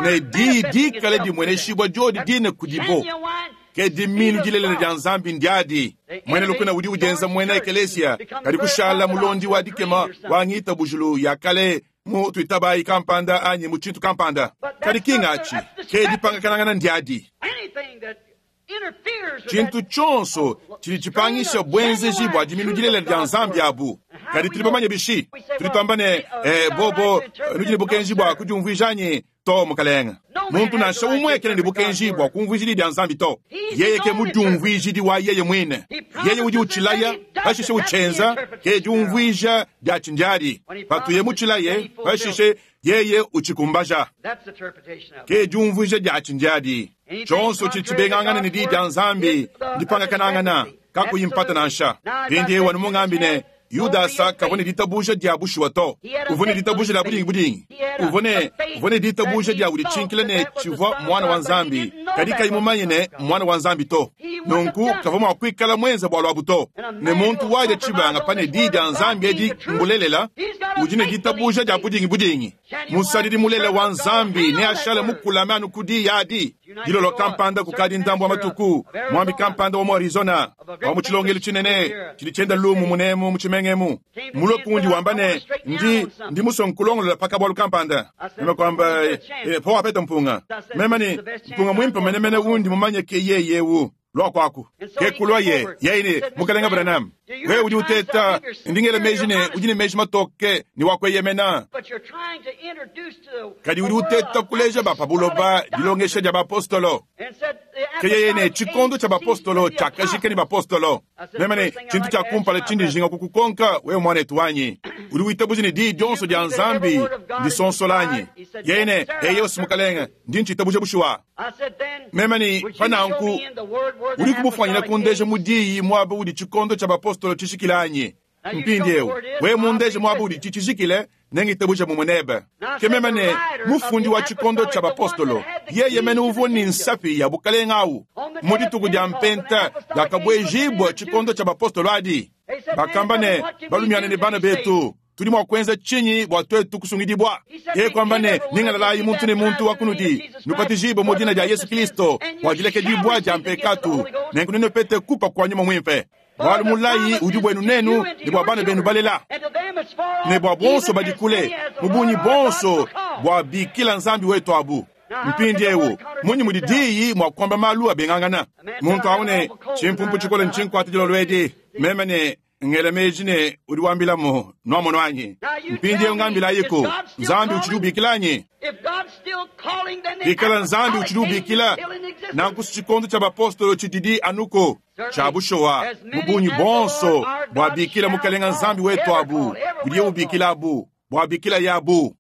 ne diyi dikale dimueneshibua diodi dine kudibo. Ke dimiinu dilelela dia Nzambi ndiadi. Muena lukuna udi udienza muena ekelesia, kadi kushala mulondi wa dikema wa ngitabujulu ya kale mu tuitabayi kampanda anyi mu tshintu kampanda. Kadi kinga atshi ke dipangakanangana ndiadi. Tshintu tshionso tshidi tshipangisha buenzeji bua dimiinu dilelela dia Nzambi abu. Kadi tudi bamanye bishi? Tudi tuamba ne eh, bobo nudi ne bukenji bua kudiumvuija anyi to, mukalenga. Muntu nansha umue kena ne bukenji bua kumvuija dia Nzambi to. Yeye ke mudiumvuijidi wa yeye muine. Yeye udi utshilaya, pashishe utshienza, ke diumvuija dia tshindiadi. Patuye mutshilaye, pashishe yeye utshikumbaja. Ke diumvuija dia tshindiadi. Tshionso tshidi tshibengangana ne diyi dia Nzambi ndipangakanangana, kakuyi mpata nansha. Mpindiewu anu mungambi ne Yudasa kavua ne ditabuja dia bushuwa to. Uvua ne ditabuja dia budingi budingi. Uvua ne uvua ne ditabuja dia uditshinkila ne tshivua mwana wa Nzambi, kadi kayi mumanye ne mwana wa Nzambi to. Nunku kavua mua kuikala mwenza bualu abu to. Ne muntu wadia tshibanga pa ne diyi dia Nzambi edi mbulelela, udi ne ditabuja dia budingi budingi. Musadidi mulela wa Nzambi ne ashale mukulame anu ku diyi adi. Dilolo kampanda kukadi ndambu wa matuku, mwambi kampanda wa mu Arizona wa mu tshilongelu tshinene tshidi tshienda lumu munemu mu tshimengemu, mulue kundi wamba ne ndi ndi musue nkulongolola pa kabualu kampanda. Meme kuamba eh, po wapeta mpunga. Meme ne mpunga muimpe menemene undi mumanye ke yeye eu lua kuaku. Ke kulua ye yeye ne mukalenga Branham, wewe udi uteta ndingela meji ne udi ne meji matoke ne wakueyemena, kadi udi uteta kuleja ba pa buloba dilongesha dia bapostolo. Ke yeye ne tshikondo tshia bapostolo tshiakajika ne bapostolo. Meme ne tshintu tshia kumpala tshindi njinga kukukonka wewe mwanetu wanyi, udi witabuja ne diyi dionso dia Nzambi ndisonsola anyi? Yeye ne eyo mukalenga, ndi ntshitabuja bushuwa. Meme ne pa nanku udi kumufanyina kundeja mu diyi muaba udi tshikondo tshia bapostolo tshishikile anyi? Mpindiewu wewe mundeje muaba udi tshishikile, nengitabuja mumue nebe. Ke meme ne mufundi wa tshikondo tshia bapostolo, yeye mene uvua ne nsapi ya bukalenga awu mu dituku dia mpenta diakabuejibua tshikondo tshia bapostolo adi. Bakamba ne, Balumiana ne bana betu, tudi mua kuenza tshinyi bua tuetu kusungidibua? Yeye kuamba ne, Nyingalalayi muntu ne muntu wa kunudi, nubatijibue mu dina dia Yesu Kristo bua dilekedibua dia mpekatu, nenku nenupete kupa kua Nyuma Muimpe. Bualu mulayi udi buenu nenu ne bua bana benu balela, ne bua bonso badi kule, mu bungi bonso bua bikila Nzambi wetu abu. Mpindieu munyi mudi diyi mua kuamba malu abengangana? Muntu awu ne tshimpumpu tshikole ntshinkuate dilolo edi, meme ne ngela meji ne udi wambilamu nuamono anyi. Mpindieu ngambilayiku, Nzambi utshidi ubikila anyi? Bikala Nzambi utshidi ubikila, nanku tshikondo tshia bapostolo tshididi anuko tshia bushowa mu bungi bonso bua bikila Mukalenga Nzambi wetu abu, budiye ubikila abu, bua bikila yabu.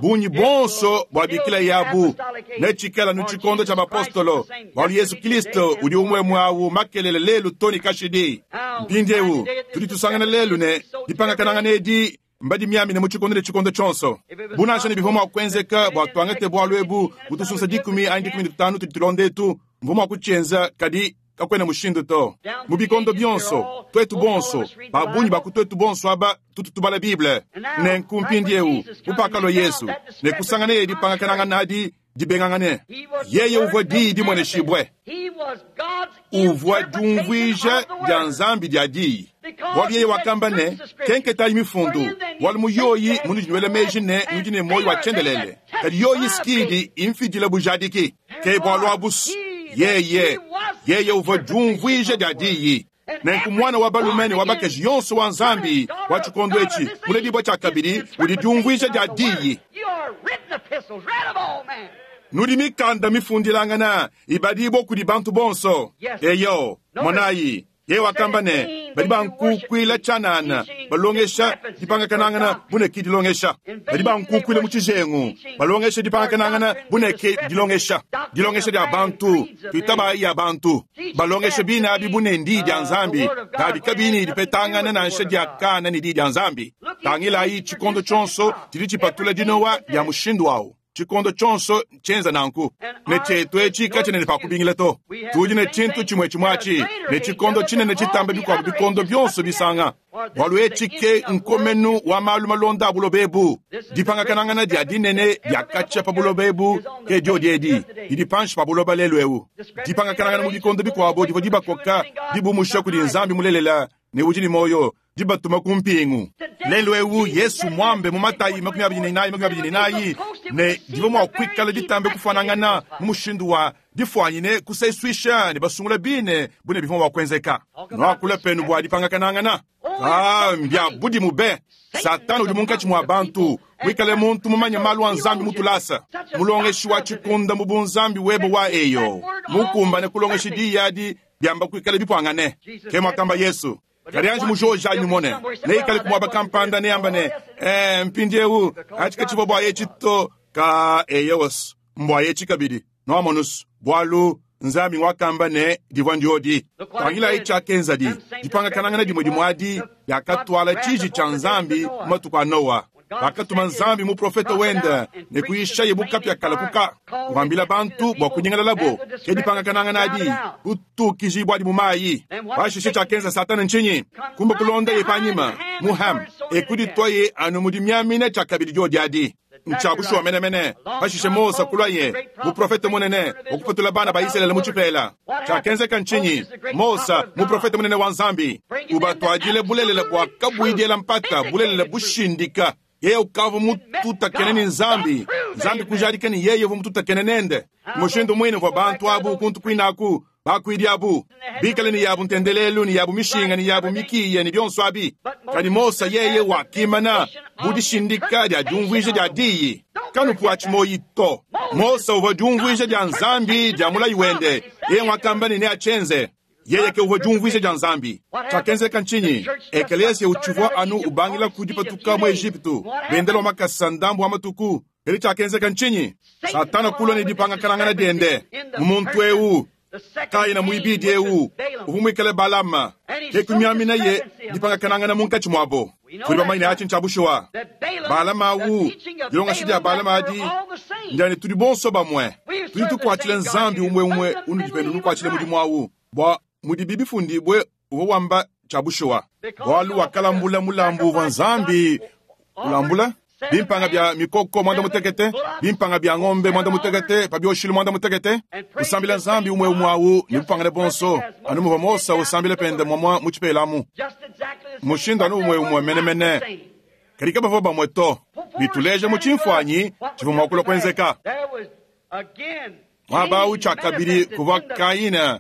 Bungi bonso bua bikila yabu netshikala nu tshikondo tshia bapostolo, bualu Yesu Kristo udi umwe mwawu makelele lelu toni kashidi. Mpindieu tudi tusangana lelu ne dipangakanangana edi mbadi miamine mu tshikondo ne tshikondo tshionso. Bunasha ne bivua mua kuenzeka bua tuangate bualu ebu butusunsa dikumi anyi dikumi ne tutanu tudi tulonda etu, mvua mua kutshienza kadi kakwena mushindu to. Mu bikondo bionso, twetu bonso, babunyi ba ku twetu bonso aba tutu tubala Bible. Nenku mpindieu mupakalo Yesu ne kusangana ye dipangakanangana adi dibengangane. Yeye uvua diyi dimweneshibwe, uvua diumvuija dia Nzambi dia diyi. Bualu yeye wakamba ne, kenketayi mifundu, bualu mu yoyi munudi nuela meji ne nudi ne moyo wa tshiendelele, kadi yoyi sikidi imfidila bujadiki. Ke bualu abu yeye yeye uvua diumvuija dia diyi. Nenku mwana wa balume ne wa bakaji yonso wa Nzambi wa tshikondo etshi muledibua tshia kabidi udi diumvuija dia diyi. Nudi mikanda mifundilangana ibadibua kudi bantu bonso. Eyo monayi, yeye wakamba ne badi bankukuila tshianana, balongesha dipangakanangana buneke dilongesha. Badi bankukuila mu tshijengu, balongesha dipangakanangana buneke dilongesha. Dilongesha dia bantu, tuitabayi ya bantu. Balongesha bina abi bunendi dia Nzambi, kabi kabini dipetangana nansha dia kana ne di dia Nzambi. Tangilayi tshikondo tshionso tshidi tshipatula dinowa dia mushindu wawu. Tshikondo tshionso tshienza nanku ne tshetu etshi katshinene pa kubingila to. Tudi ne tshintu tshimwe tshimwe ne tshikondo tshinene tshitamba bikuabu bikondo bionso bisanga. Bualu etshi ke nkomenu wa malu malonda a buloba ebu. Dipangakanangana dia dinene dia katshia pa buloba ebu ke diodi edi didi panshi pa buloba lelu eu. Dipangakanangana mu bikondo bikuabu divua dibakoka dibumusha kudi Nzambi mulelela ne udi ne moyo, dibatuma ku mpingu. Lelu eu Yesu mwambe mu Matayi makumi abidi ne inayi makumi abidi ne inayi ne divua mua kuikala ditambe kufanangana mu mushindu wa difuanyine kusesuisha ne basungula bine bune bivua mua kuenzeka. Nuakula penu bua dipangakanangana. Ah, mbia budimu be. Satana udi munkatshi mua bantu, muikale muntu mumanye malu a Nzambi mutulasa, mulongeshi wa tshikunda mu bunzambi webe wa eyo, mukumbane kulongesha diyi adi diamba kuikala bipwangane. Ke mwakamba Yesu. Kadi anji mujoja anyi mone, neikale kumwaba kampanda neamba ne, eh, mpindieu atshika tshivua bua etshi to ka eyewos mbua etshi kabidi noamonus bualu Nzambi wakamba ne divua ndiodi. Tangilayi tshiakenza di dipangakanangana dimwe dimwe adi diakatwala tshiji tshia Nzambi mu matuku a Noa. Bakatuma Nzambi muprofete wende ne kuyishaye bukapya kalakuka, kuambila bantu bua kunyingalalabo. Ke dipangakanangana adi kutukijibua adi mu mayi. Pashishe tshiakenza Satana ntshinyi? Kumba kulonda ye panyima mu Ham ekuditwaye anu mudi miamina tshiakabidi diodi adi. Ntsha bushuwa menemene. Pashishe Mose kulwaye muprofete munene wakupatula bana ba Israele mu tshipela. Tshiakenzeka ntshinyi? Mose muprofete munene wa Nzambi ubatwadile bulelela bua kabuidiela mpata, bulelela bushindika. Yeye ukavua mututakene ne Nzambi, Nzambi kujadika ne yeye uvua mututakene nende. Mushindu muine uvua bantu abu kuntu kuinaku bakuidi abu bikale ne yabu ntendelelu ne yabu mishinga ne yabu mikiya ne bionso abi. Kadi Mose yeye wakimana bu dishindika dia diumvuija dia diyi. Kanupu atshimoyi to. Mose uvua diumvuija dia Nzambi dia mulayi wende. Yeye wakamba ne neatshienze. Yeye ke uvua diumvuija dia Nzambi. Tshiakenzeka ntshinyi? Ekelesia utshivua anu ubangila ku dipatuka mu Ejipitu, bendela wa makasa ndambu wa matuku. Kadi tshiakenzeka ntshinyi? Satana kulua ne dipangakanangana diende mu muntu eu Kaina muibidi eu uvua muikale Balama, ke kumiamina ye dipangakanangana munkatshi muabo. Tudi bamanye atshi ntshia bushuwa. Balama awu, dilongesha dia Balama adi ndiane tudi bonso bamue. Tudi tukuatshila Nzambi umwe umwe unudi penu nukuatshila mudimu awu. Bua mudibi bifundibue uvua wamba Tshia bushuwa. Bualu wakalambula mulambu uvua Nzambi ulambula, bimpanga bia mikoko muanda mutekete, bimpanga bia ngombe muanda mutekete, pa bioshilu muanda mutekete, usambila Nzambi umue umue awu ne bupangane bonso, anu muvua Mose usambila pende muamua mu tshipela amu. Mushindu anu umue umue menemene. Kadi kabavua bamue to. Bituleja mu tshimfuanyi tshivua mua kulua kuenzeka. Muaba awu tshiakabidi kuvua Kaina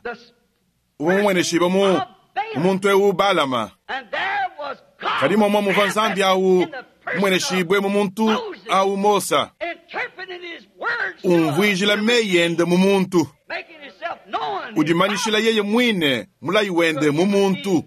uvua mumueneshibue mu muntu eu Balama. Kadi muamua muvua Nzambi awu mumueneshibue mu muntu awu Mose, umvuijila meyi ende mu muntu, udimanyishila yeye muine mulayi wende mu muntu.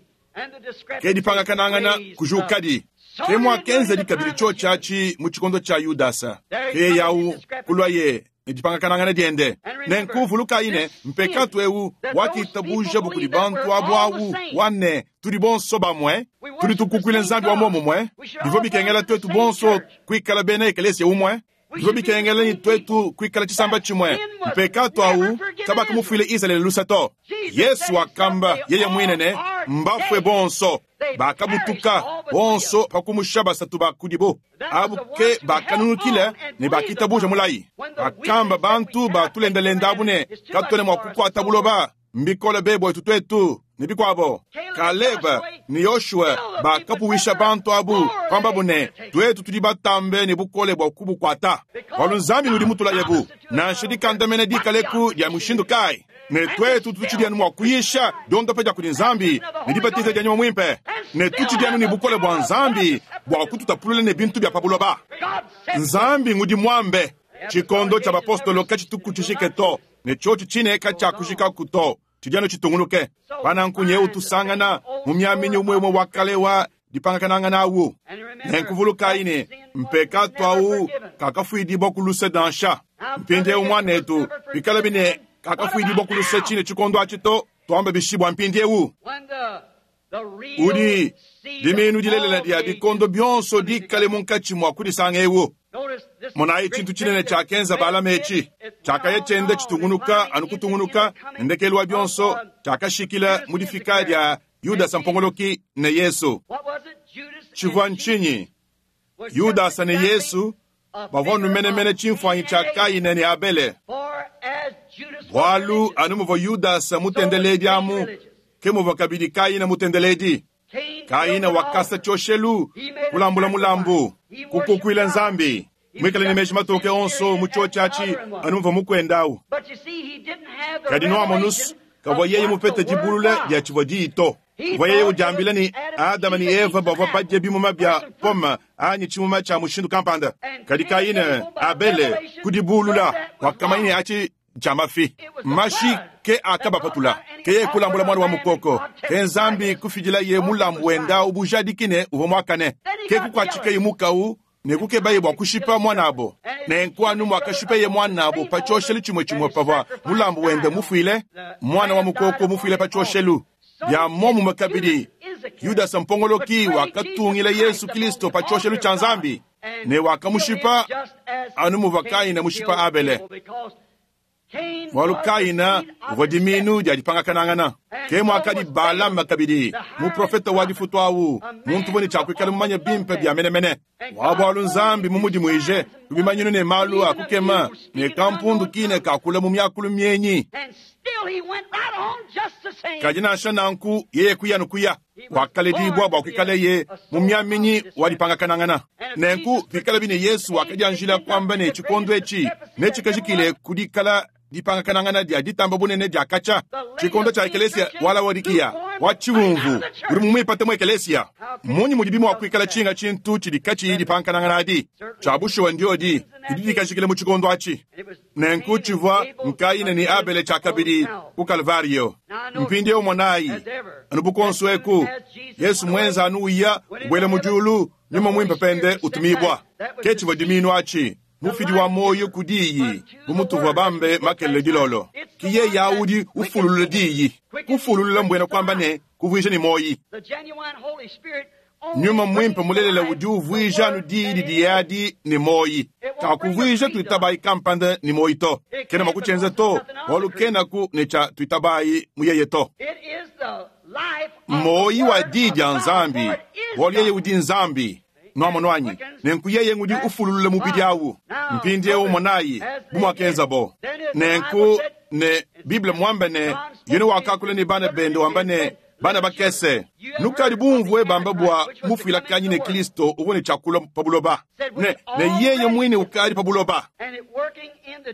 Ke dipangakanangana kujukadi. Ke muakenzadi kabidi tshiotshi atshi mu tshikondo tshia Yudasa. Ke yeye awu kuluaye ne dipangakanangana diende. Nenku vulukayi ne, mpekatu eu wakitabuja kudi bantu abu awu wa ne, tudi bonso bamue, tudi tukukuila Nzambi wa muomumue, bivua bikengela tuetu bonso kuikala bena ekelesia umue, bivua bikengela ne tuetu kuikala tshisamba tshimue. Mpekatu awu kabakamufuila Izalele luse to. Yesu wakamba yeye muine ne, mbafue bonso, bakabutuka bonso pa kumusha basatu ba kudibo. Abu ke bakanunukile ne bakitabuja mulayi. Bakamba bantu batulendalenda abu ne, katuena mua kukuata buloba, mbikole be buetu tuetu ne bikuabo. Kaleb ne Yoshua bakapuwisha bantu abu, kwambabu ne, tuetu tudi batambe ne bukole bua kubukuata. Bualu Nzambi udi mutulayebu, nansha dikandamena dikaleku dia mushindu kayi, ne tuetu tutshidi anu mua kuyisha diondopa dia kudi Nzambi ne dibatiza dia Nyuma Muimpe, ne tutshidi anu ne bukole bua Nzambi bua kututapulula ne bintu bia pa buloba. Nzambi ngudi muambe, tshikondo tshia bapostolo katshituku tshishike to, ne tshiotshi tshine katshiakujikaku to, tshidi anu tshitungunuke. Pananku nyewu tusangana mu miaminyi umue umue wa kale wa dipangakanangana awu. Nenku vulukayi ne, mpekatu awu kakafuidibua ku luse nansha. Mpindieu muanetu, bikalabi ne kakafuidibua ku luse tshine tshikondo atshi to, tuambe bishi bua mpindieu? Udi diminu dilelela dia bikondo bionso dikale munkatshi mua kudisanga eu. Monayi tshintu tshinene tshiakenza Balama etshi, tshiakaya tshienda tshitungunuka anu kutungunuka, ne ndekelu wa bionso tshiakashikila mu difika dia Yudasa mpongoloki ne Yesu. Tshivua ntshinyi? Yudasa ne Yesu bavua numenemene tshimfuanyi tshia Kaina ne Abele. Bualu anu muvua Yudasa mutendeledi amu, ke muvua kabidi Kaina mutendeledi. Kaina wakasa tshioshelu, kulambula mulambu, kukukuila Nzambi, muikale ne meji matoke onso mu tshiotshi atshi anu muvua mukuenda awu. Kadi nuamonusu kavua yeye mupete dibulula dia tshivua diyi to. Uvua yeye udiambila ne Adama ne Eva bavua badie bimuma bia pome anyi tshimuma tshia mushindu kampanda. Kadi Kaina Abele kudibulula, wakamanya ne atshi tshia mafi. Mashi ke akabapatula, ke yeye kulambula mwana wa mukoko, ke Nzambi kufidilaye mulambu wenda ubujadiki ne uvua muakane. Ke kukuatshikaye mukau ne kukebaye bua kushipa mwanabo. Nenku anu muakashipeye mwanabo pa tshioshelu tshimue tshimue pavua mulambu wende mufuile, mwana wa mukoko mufuile pa tshioshelu. Bia muomumue kabidi, Yudasa mpongoloki wakatungila Yesu Kristo pa tshioshelu tshia Nzambi ne wakamushipa anu muvua Kaina mushipa Abele. Bualu Kaina uvua diminu dia dipangakanangana. Ke muakadi Balama kabidi, muprofeta wa difutu awu, muntu uvua ne tshiakuikala mumanye bimpe bia menemene. Wa bualu Nzambi mumudimuije ku bimanyinu ne malu a kukema ne kampundu kine kakula mu miakulu mienyi. Kadi nansha nanku yeye kuya no kuya, wakaledibua bua kuikaleye mu miaminyi wa dipangakanangana. Nenku pikalabi ne Yesu wakadianjila kuamba ne tshikondo etshi netshikajikile ku dikala dipangakanangana dia ditamba bunene dia katshia, tshikondo tshia ekelesia wa Laodikiya wa tshivumvu udi mumuipate mu ekelesia. Mmunyi mudibi mua kuikala tshinga tshintu tshidi katshiyi dipangakanangana adi? Tshia bushuwa ndiodi didi dikajikile mu tshikondo atshi. Nenku tshivua Kaina ne Abele tshiakabidi ku Kalvario. Mpindieu monayi, anu bukonso eku, Yesu mwenza anu uya ubuela mu diulu, Nyuma Muimpe pende utumibua. Ke tshivua diminu atshi, mufidi wa moyo ku diyi, bu mutuvua bambe makelele dilolo. Ki yeye awu udi ufululula diyi. Kufululula mbuena kuamba ne kuvuija ne moyi. Nyuma mwimpe mulelela udi uvwija anu diyi didiye adi ne moyi. Kakuvwija tuitabayi kampanda ne moyi to. Kena mwa kutshienza to, bualu kenaku ne tshia tuitabayi mu yeye to. Moyi wa diyi dia Nzambi, bualu yeye udi Nzambi. Nwamonu anyi? Nenku yeye ngudi ufululula mubidi awu. Mpindiewu monayi, bu muakenzabo. Nenku ne Bible muambe ne, Yone wakakula ne bana bende wamba ne, bana bakese, nukadi bumvue bamba bua mufuilakanyi ne Kristo uvua ne tshiakulua pa buloba. Ne, ne yeye muine ukadi pa buloba.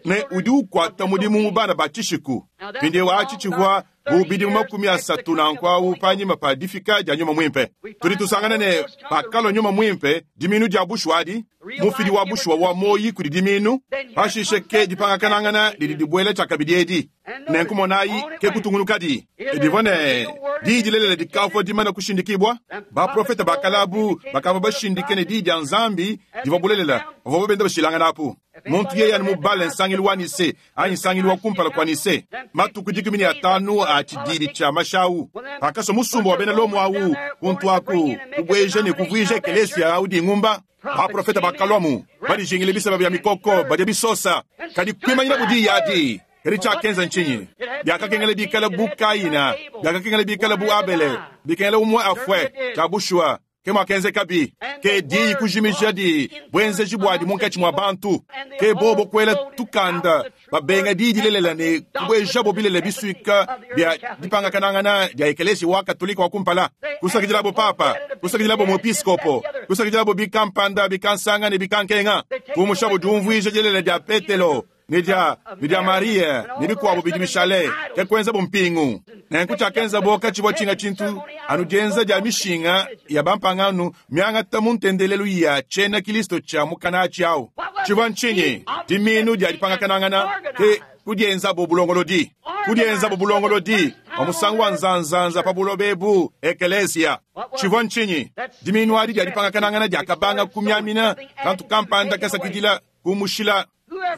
Ne udi ukuata mudimu mu bana ba tshishiku. Mpindiewu atshi tshivua bu bidimu makumi asatu nanku awu panyima pa difika dia Nyuma Mwimpe. Tudi tusangana ne pakalua Nyuma Mwimpe, diminu dia bushuwa adi, mufidi wa bushuwa wa moyi kudi diminu, pashishe ke dipangakanangana didi dibuela tshiakabidi edi. Nenku monayi ke kutungunukadi. Divua ne diyi dilelela dikavua dimana kushindikibua. Baprofete bakalabu bakavua bashindike ne diyi dia Nzambi divua bulelela, bavua benda bashilangana apu. Muntu yeye anu mubale nsangilu wa Nise anyi nsangilu wa kumpala kua Nise, matuku dikumi ne atanu a tshididi tshia mashawu, pakasua musumba wa bena Lomo awu kuntu aku kubueja ne kuvuija ekelesia awu dingumba. Baprofete bakalwamu badijingile biseba bia mikoko badia bisosa, kadi kuimanyina budiyi adi. Kadi tshiakenza ntshinyi? Biakakengela bikala bu Kaina, biakakengela bikala bu Abele, bikengela umue afue tshia bushuwa. Ke muakenzekabi, ke diyi kujimija di buenzeji buadi munkatshi mua bantu. Ke bobo kuela tukanda babenga diyi dilelela ne kubuejabo bilele bisuika bia dipangakanangana dia ekelesia wa Katolika wa kumpala. Kusakidilabo papa, kusakidilabo muepiskopo, kusakidilabo bikampanda, bikansanga ne bikankenga. Kumushabo diumvuija dilelela dia Petelo ne dia, ne dia Maria ne bikuabo bidi bishale, ke kuenzabo mpingu. Nenku tshiakenzabo katshivua tshinga tshintu anu dienza dia mishinga ya bampangano miangata mu ntendelelu ya tshiena Kristo tshia mukana awu. Tshivua ntshinyi? Diminu dia dipangakanangana ke kudienzabo bulongolodi. Kudienzabo bulongolodi wa musangu wa nzanzanza pa buloba ebu ekelesia. Tshivua ntshinyi? Diminu adi dia dipangakanangana diakabanga kumiamina kantu kampanda kasakidila kumushila.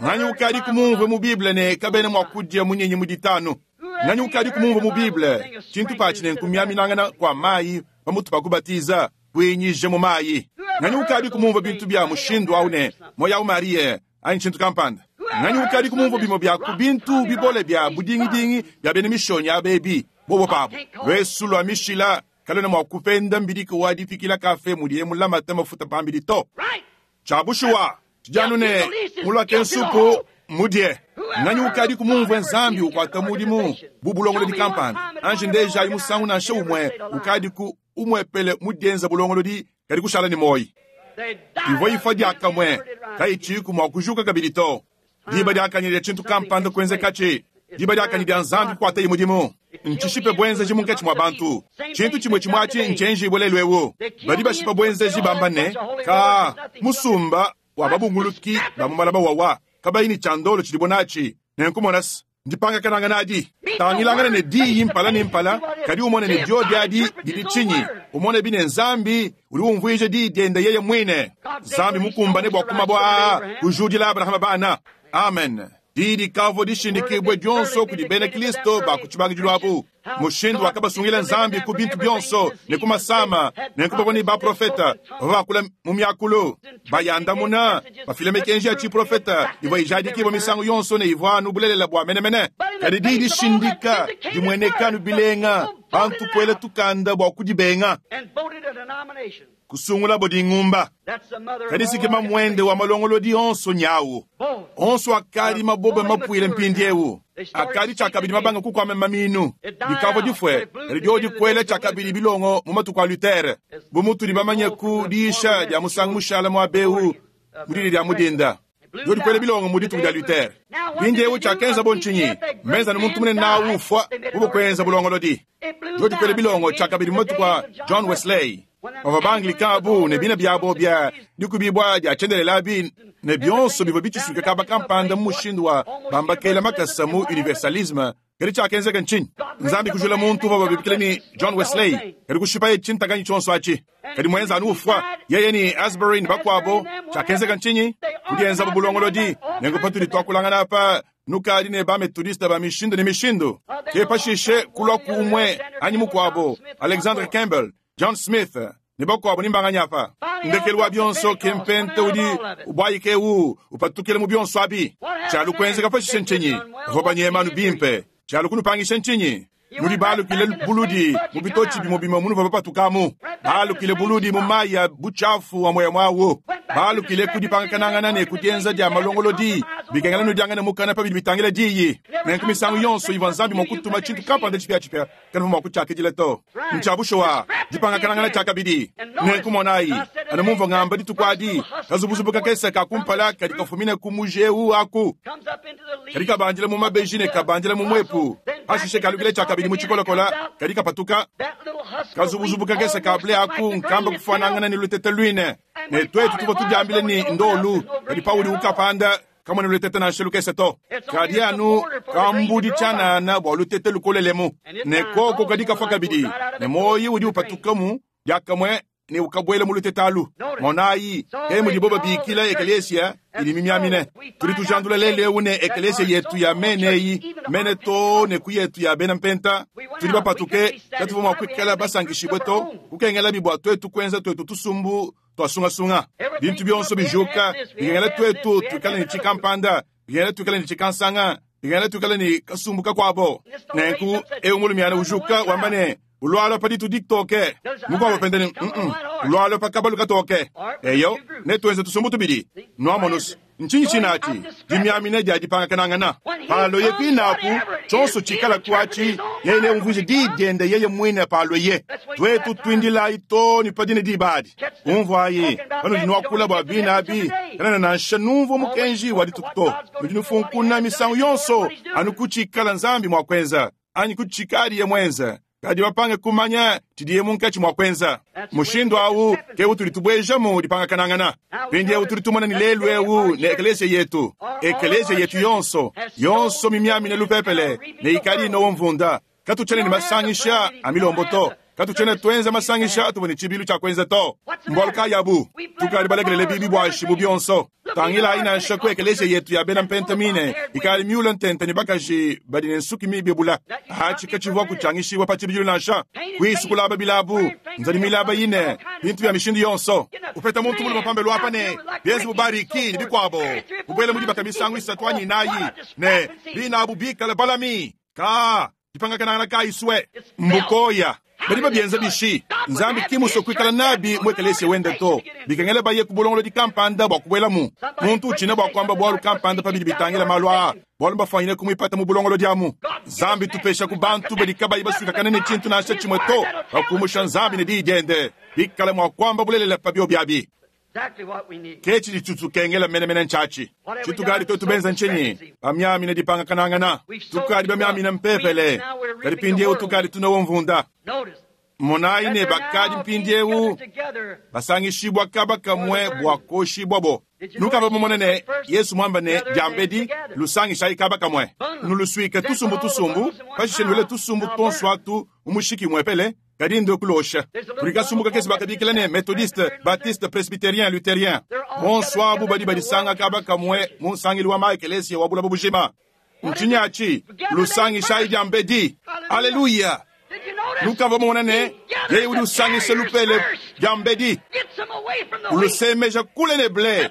Nganyi ukadi kumumvue mu Bible ne kabena mua kudia munyenyi mu ditanu. Nganyi ukadi kumumvue mu Bible tshintu patshi ne nkumiaminangana kwa mayi pamutu pa kubatiza kuinyije mu mayi. Nganyi ukadi kumumvue bintu bia mushindu awu ne moya awu Marie anyi tshintu kampanda. Nganyi ukadi kumumvue bimue bia ku bintu bibole bia budingidingi bia bena mishonyi abebi bobo pabo. Lwesu lwa mishila kalona mua kupenda mbidiko wa dipikila kafe mudiye mulamate mafuta pambidi to. Tshia bushuwa tshijanu ne mulwake nsupu mudie. Nganyi ukadi kumumvue Nzambi ukwata mudimu bu bulongolodi kampanda. Anji ndeja ayi musangu nansha umue ukadi ku umwepele mudienza bulongolodi kadi kushala ne moyi. Ivua ifua diakamue kayitshiku mua kujuka kabidi to. Diba diakanyile dia tshintu kampanda kuenzekatshi. Diba diakanyi dia Nzambi kukwataye mudimu. Ntshishipe buenzeji munkatshi mua bantu. Tshintu tshimue tshimue atshi ntshienjibue lelu ewu. Badi bashipa buenzeji bamba ne ka musumba wa babunguluki ba mu malaba wawa kabayi ne tshiandolo tshidibo natshi. Nenku monasi ndipangakanangana adi. Tangilangana ne diyi mpala ne mpala, kadi umone ne diodi adi didi tshinyi. Umone bine Nzambi udi umvuija diyi diende yeye muine. Nzambi mukumbane bua kumabua aa kujudila Abrahama bana. Amen. Diyi dikavua dishindikibue dionso kudi bena Kristo ba ku tshibangidilu abu. Mushindu wakabasungila Nzambi ku bintu bionso ne ku masama, nenku bavua ne baprofeta bavua bakula mu miakulu bayandamuna bafila mikenji ya tshiprofeta ivua ijadikibua misangu yonso ne ivua anu bulelela bua menemene. Kadi diyi dishindika dimueneka anu bilenga, bantu kuela tukanda bua kudibenga. Kusungulabo dingumba. Kadi sikima mwende wa malongolodi onso nyawu. Onso akadi mabobe mapuile mpindiewu. Akadi tshiakabidi mabanga kukwama maminu. Dikavua difue, kadi diodi kuela tshiakabidi bilongo mu matuku a Luther. Bu mutudi bamanye ku diisha dia musangu mushala mua bewu mu didi dia mudinda. Diodi kuela bilongo mu dituku dia Luther. Mpindiewu tshiakenza bo ntshinyi? Mbenza ne muntu munene nawu ufua bubu kuenza bulongolodi. Diodi kuela bilongo tshiakabidi mu matuku a John Wesley. Bavua ba-Anglican abu ne bina biabo bia dikubibua dia tshiendelela bi ne bionso bivua bitshisuika kaba kampanda mu mushindu wa bambakela makasa mu universalisme. Kadi tshiakenzeka ntshinyi? Nzambi kujula muntu uvua babikila ne John Wesley, kadi kushipaye tshintakanyi tshionso atshi. Kadi mwenza anu ufua yeye ne Asbury ne bakuabo. Tshiakenzeka ntshinyi? Kudienza bulongolodi. Nenku patudi tuakulangana apa nukadi ne ba-methodiste ba mishindu ne mishindu. Ke pashishe kulua ku umue anyi mukuabo, Alexander Campbell, John Smith, Ne bakuabo ni mbanganya apa. Ndekelu wa bionso ke mpenta udi ubwayika ewu upatukile mu bionso abi. Tshialu kuenzeka pashishe ntshinyi? Bavua banyema anu bimpe. Tshialu kunupangisha ntshinyi? Nudi balukile buludi mu bitotshi bimue bimue munuvua bapatukamu. Balukile buludi mu mayi a butshiafu amue amue awu. Balukile ku dipangakanangana ne ku dienza dia malongolodi bikengela nudiangane mukana pa bidi bitangila diyi. Nenku misangu yonso ivua Nzambi mua kutuma tshintu kampanda tshipiatshipia, kanuvua mua kutshiakidila to. Ntshia bushuwa, dipangakanangana tshiakabidi. Nenku monayi, anu mumvua ngamba dituku adi, kazubuzubu kakese ka kumpala kadi kafumine ku muji eu aku. Kadi kabandila mu mabeji ne kabandila mu muepu. Pashishe kalukile tshiakabidi mu tshikolokola, kadi kapatuka. Kazubuzubu kakese ka ble aku nkamba kufuanangana ne lutete luine. Ne tuetu tuvua tudiambile ni ndolu, kadi paudi ukapanda kamona lutete nansha lukese to. Kadi anu kambudi tshianana bua lutete lukolelemu. Ne koko kadi kafua kabidi, ne muoyi udi upatukamu diakamue ne ukabuela mu lutete alu. Monayi, ke mudibo babikila ekelesia idi mimiamine. Tudi tujandula lelu eu ne ekelesia yetu ya mene eyi, mene to ne ku yetu ya bena mpenta. Tudi bapatuke, katuvua mua kuikala basankishibue to, kukengelabi bua tuetu kuenza tuetu tusumbu twasungasunga. Bintu bionso bijuka, bikengela tuetu tuikale ne tshikampanda, bikengela tuikale ne tshikansanga, bikengela tuikale ne kasumbu kakuabo. Nenku eu mulumiana ujuka wamba ne ulwalwa pa ditu ditoke. Mukwabo pende ne mm ulwalwa pa kabalu katoke. Eyo ne tuenze tusumbu tubidi. Nwamonus ntshinyi tshinati dimiamine dia dipangakanangana. Palo ye kwinaku tshonso tshikala kuachi yeye ne umvuije diyi diende yeye mwine palo ye. Tuetu twindilayi to ni padine dibadi. Umvuayi panudi nuakula bua bina abi kanana nansha numvua mukenji wa dituku to. Nudi nufunkuna misangu yonso anu kutshikala Nzambi mua kuenza anyi kutshikadi ye mwenza. Kadi bapange kumanya tshidiye munkatshi mua kuenza. Mushindu awu ke utudi tubuejamu dipangakanangana. Mpindieu tudi tumona ni lelu eu ne ekelesia yetu. Ekelesia yetu yonso, yonso mimiamine lupepele ne ikadi inowo mvunda. Katutshiena ne masangisha a milombo to. Katutshiena tuenza masangisha atuvua ne tshibilu tshia kuenza to. Mbualu kayi abu? Tukadi balekelele bibi buashi bu bionso. Tangilayi nansha ku ekelesia yetu ya bena mpentamine ikali miula ntente ne bakaji badi ne nsuki mibebula. Atshi katshivua kutshangishiwa pa tshibidilu nansha. Kuisukulaba bilabu, nzadi milaba yine, bintu bya mishindu yonso. Upeta muntu mulume pambelu apa ne bienze bubariki ne bikuabo. Kubuela mu dibaka misangu isatu anyi inayi ne binabu bikale balami. Ka dipangakanangana kayi swe mbukoya. Badi babienza bishi Nzambi kimusue kuikala nabi mu ekelesia wende to. Bikengela baye ku bulongolodi kampanda bua kubuelamu. Muntu utshina bua kuamba bualu kampanda pa bidi bitangila malu aa, bualu mbafwanyine kumuipata mu bulongolodi amu. Nzambi tupesha ku bantu badi kabayi basuikakane ne tshintu nansha tshimue to, bakumusha Nzambi ne diyi diende, bikale mua kuamba bulelela pa bio biabi. Ke tshidi tshitukengela menemene ntshiatshi. Tshitukadi tuetu benza ntshinyi? Bamiamine dipangakanangana. Tukadi bamiamine mpepele. Kadi mpindieu tukadi tunowo mvunda. Monayi ne bakadi mpindieu basangishibua kaba kamue bua koshibua bo. Nukava mumone ne Yesu mwamba ne diambedi lusangishayi kaba kamue. Nulusuike tusumbu tusumbu, pashishe nuele tusumbu tonso atu mu mushiki muepele. Kadi ndo kulosha. Kuli kasumbu kakese bakabikila ne Methodiste, Baptiste, Presbytérien, Luthérien. Bonso abu badi badisanga kaba kamue mu nsangilu wa maekelesia wa bulaba bujima. Ntshinyi atshi? Lusangishayi diambedi. Haleluya. Nukava mumone ne yeye udi usangisha lupele diambedi. Ulusemeja kule ne ble.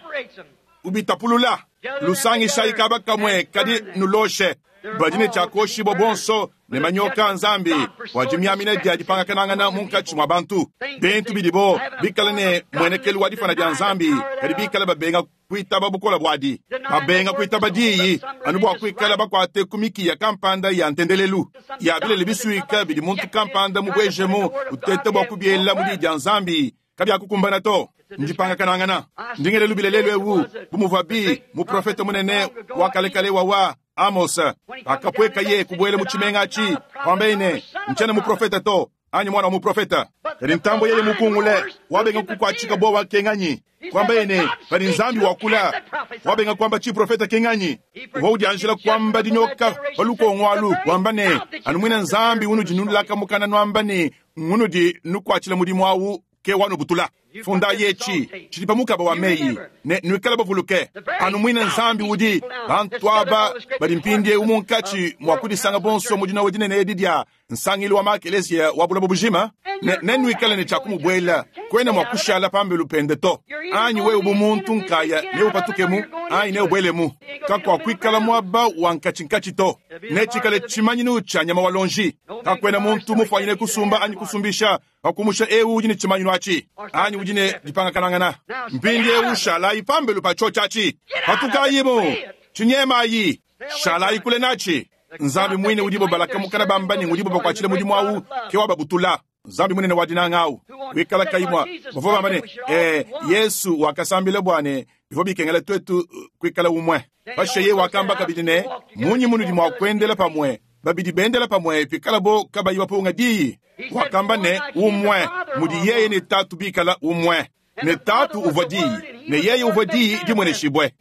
Ubitapulula. Lusangishayi kaba kamue kadi nuloshe. Badi ne tshiakoshibua bonso ne manyoka Nzambi bua dimiamina dia dipangakanangana munkatshi mua bantu. Bintu bidibo bikale ne muenekelu wa difana dia Nzambi, kadi bikale babenga kuitaba bukola buadi, babenga kuitaba diyi anu bua kuikala bakuate ku mikiya kampanda ya ntendelelu ya bilele bisuika bidi muntu kampanda mubuejemu utete bua kubiela mu diyi dia Nzambi kabiakukumbana to. Ndipangakanangana. Ndingelelu bilelelu ewu bu muvua bi muprofete munene wa kalekale wawa Amos akapweka ye kubuela mu tshimenga atshi kwambaye ne ntshiena muprofeta to anyi mwana wa muprofeta. Kadi ntambo yeye mukungule wabenga kukuatshika bowa wakenganyi kwambaye ne padi Nzambi wakula wabenga kwamba tshiprofeta kenganyi uvua udianjila kwamba dinyoka pa lukongo alu wamba ne anu mwina Nzambi unudi nulaka mukana nwamba ne ngunudi nukuatshila mudimu awu ke wanubutula. Fundayi etshi tshidi pa mukaba wa meyi ne nuikale bavuluke anu muine Nzambi udi bantu aba badi mpindieu munkatshi mua kudisanga bonso mu dinowa dinene edi dia nsangilu wa makelezia wa buloba bujima ne nenuikale ne tshia kumubuela kuena mua kushala pambelu pende to anyi wewe bu muntu nkaya neupatukemu anyi neubuelemu kakuakuikala muaba wa nkatshinkatshi to netshikale tshimanyinu tshia nyama wa lonji kakuena muntu mufuanyine kusumba anyi kusumbisha pakumusha ewu udi ne tshimanyinu atshi anyi udi ne dipangakanangana mpindieu shalayi pambelu pa tshiotshi atshi patukayimu tshinyemayi shalayi kule natshi Nzambi mwine udibo balakamukana bamba ne udibo bakuatshile mudimu awu ke wababutula Nzambi munene wa dinanga awu wikala kayimwa bavua bamba ne eh, Yesu wakasambila bua ne bivua bikengela twetu kuikala umwe pashishe ye wakamba kabidi ne munyi munudi mua kuendela pamue babidi bendela pamue pikala bo kabayi bapunga diyi wakamba ne umwe mudi yeye ne tatu bikala umwe ne tatu uvua diyi ne yeye uvua diyi dimweneshibwe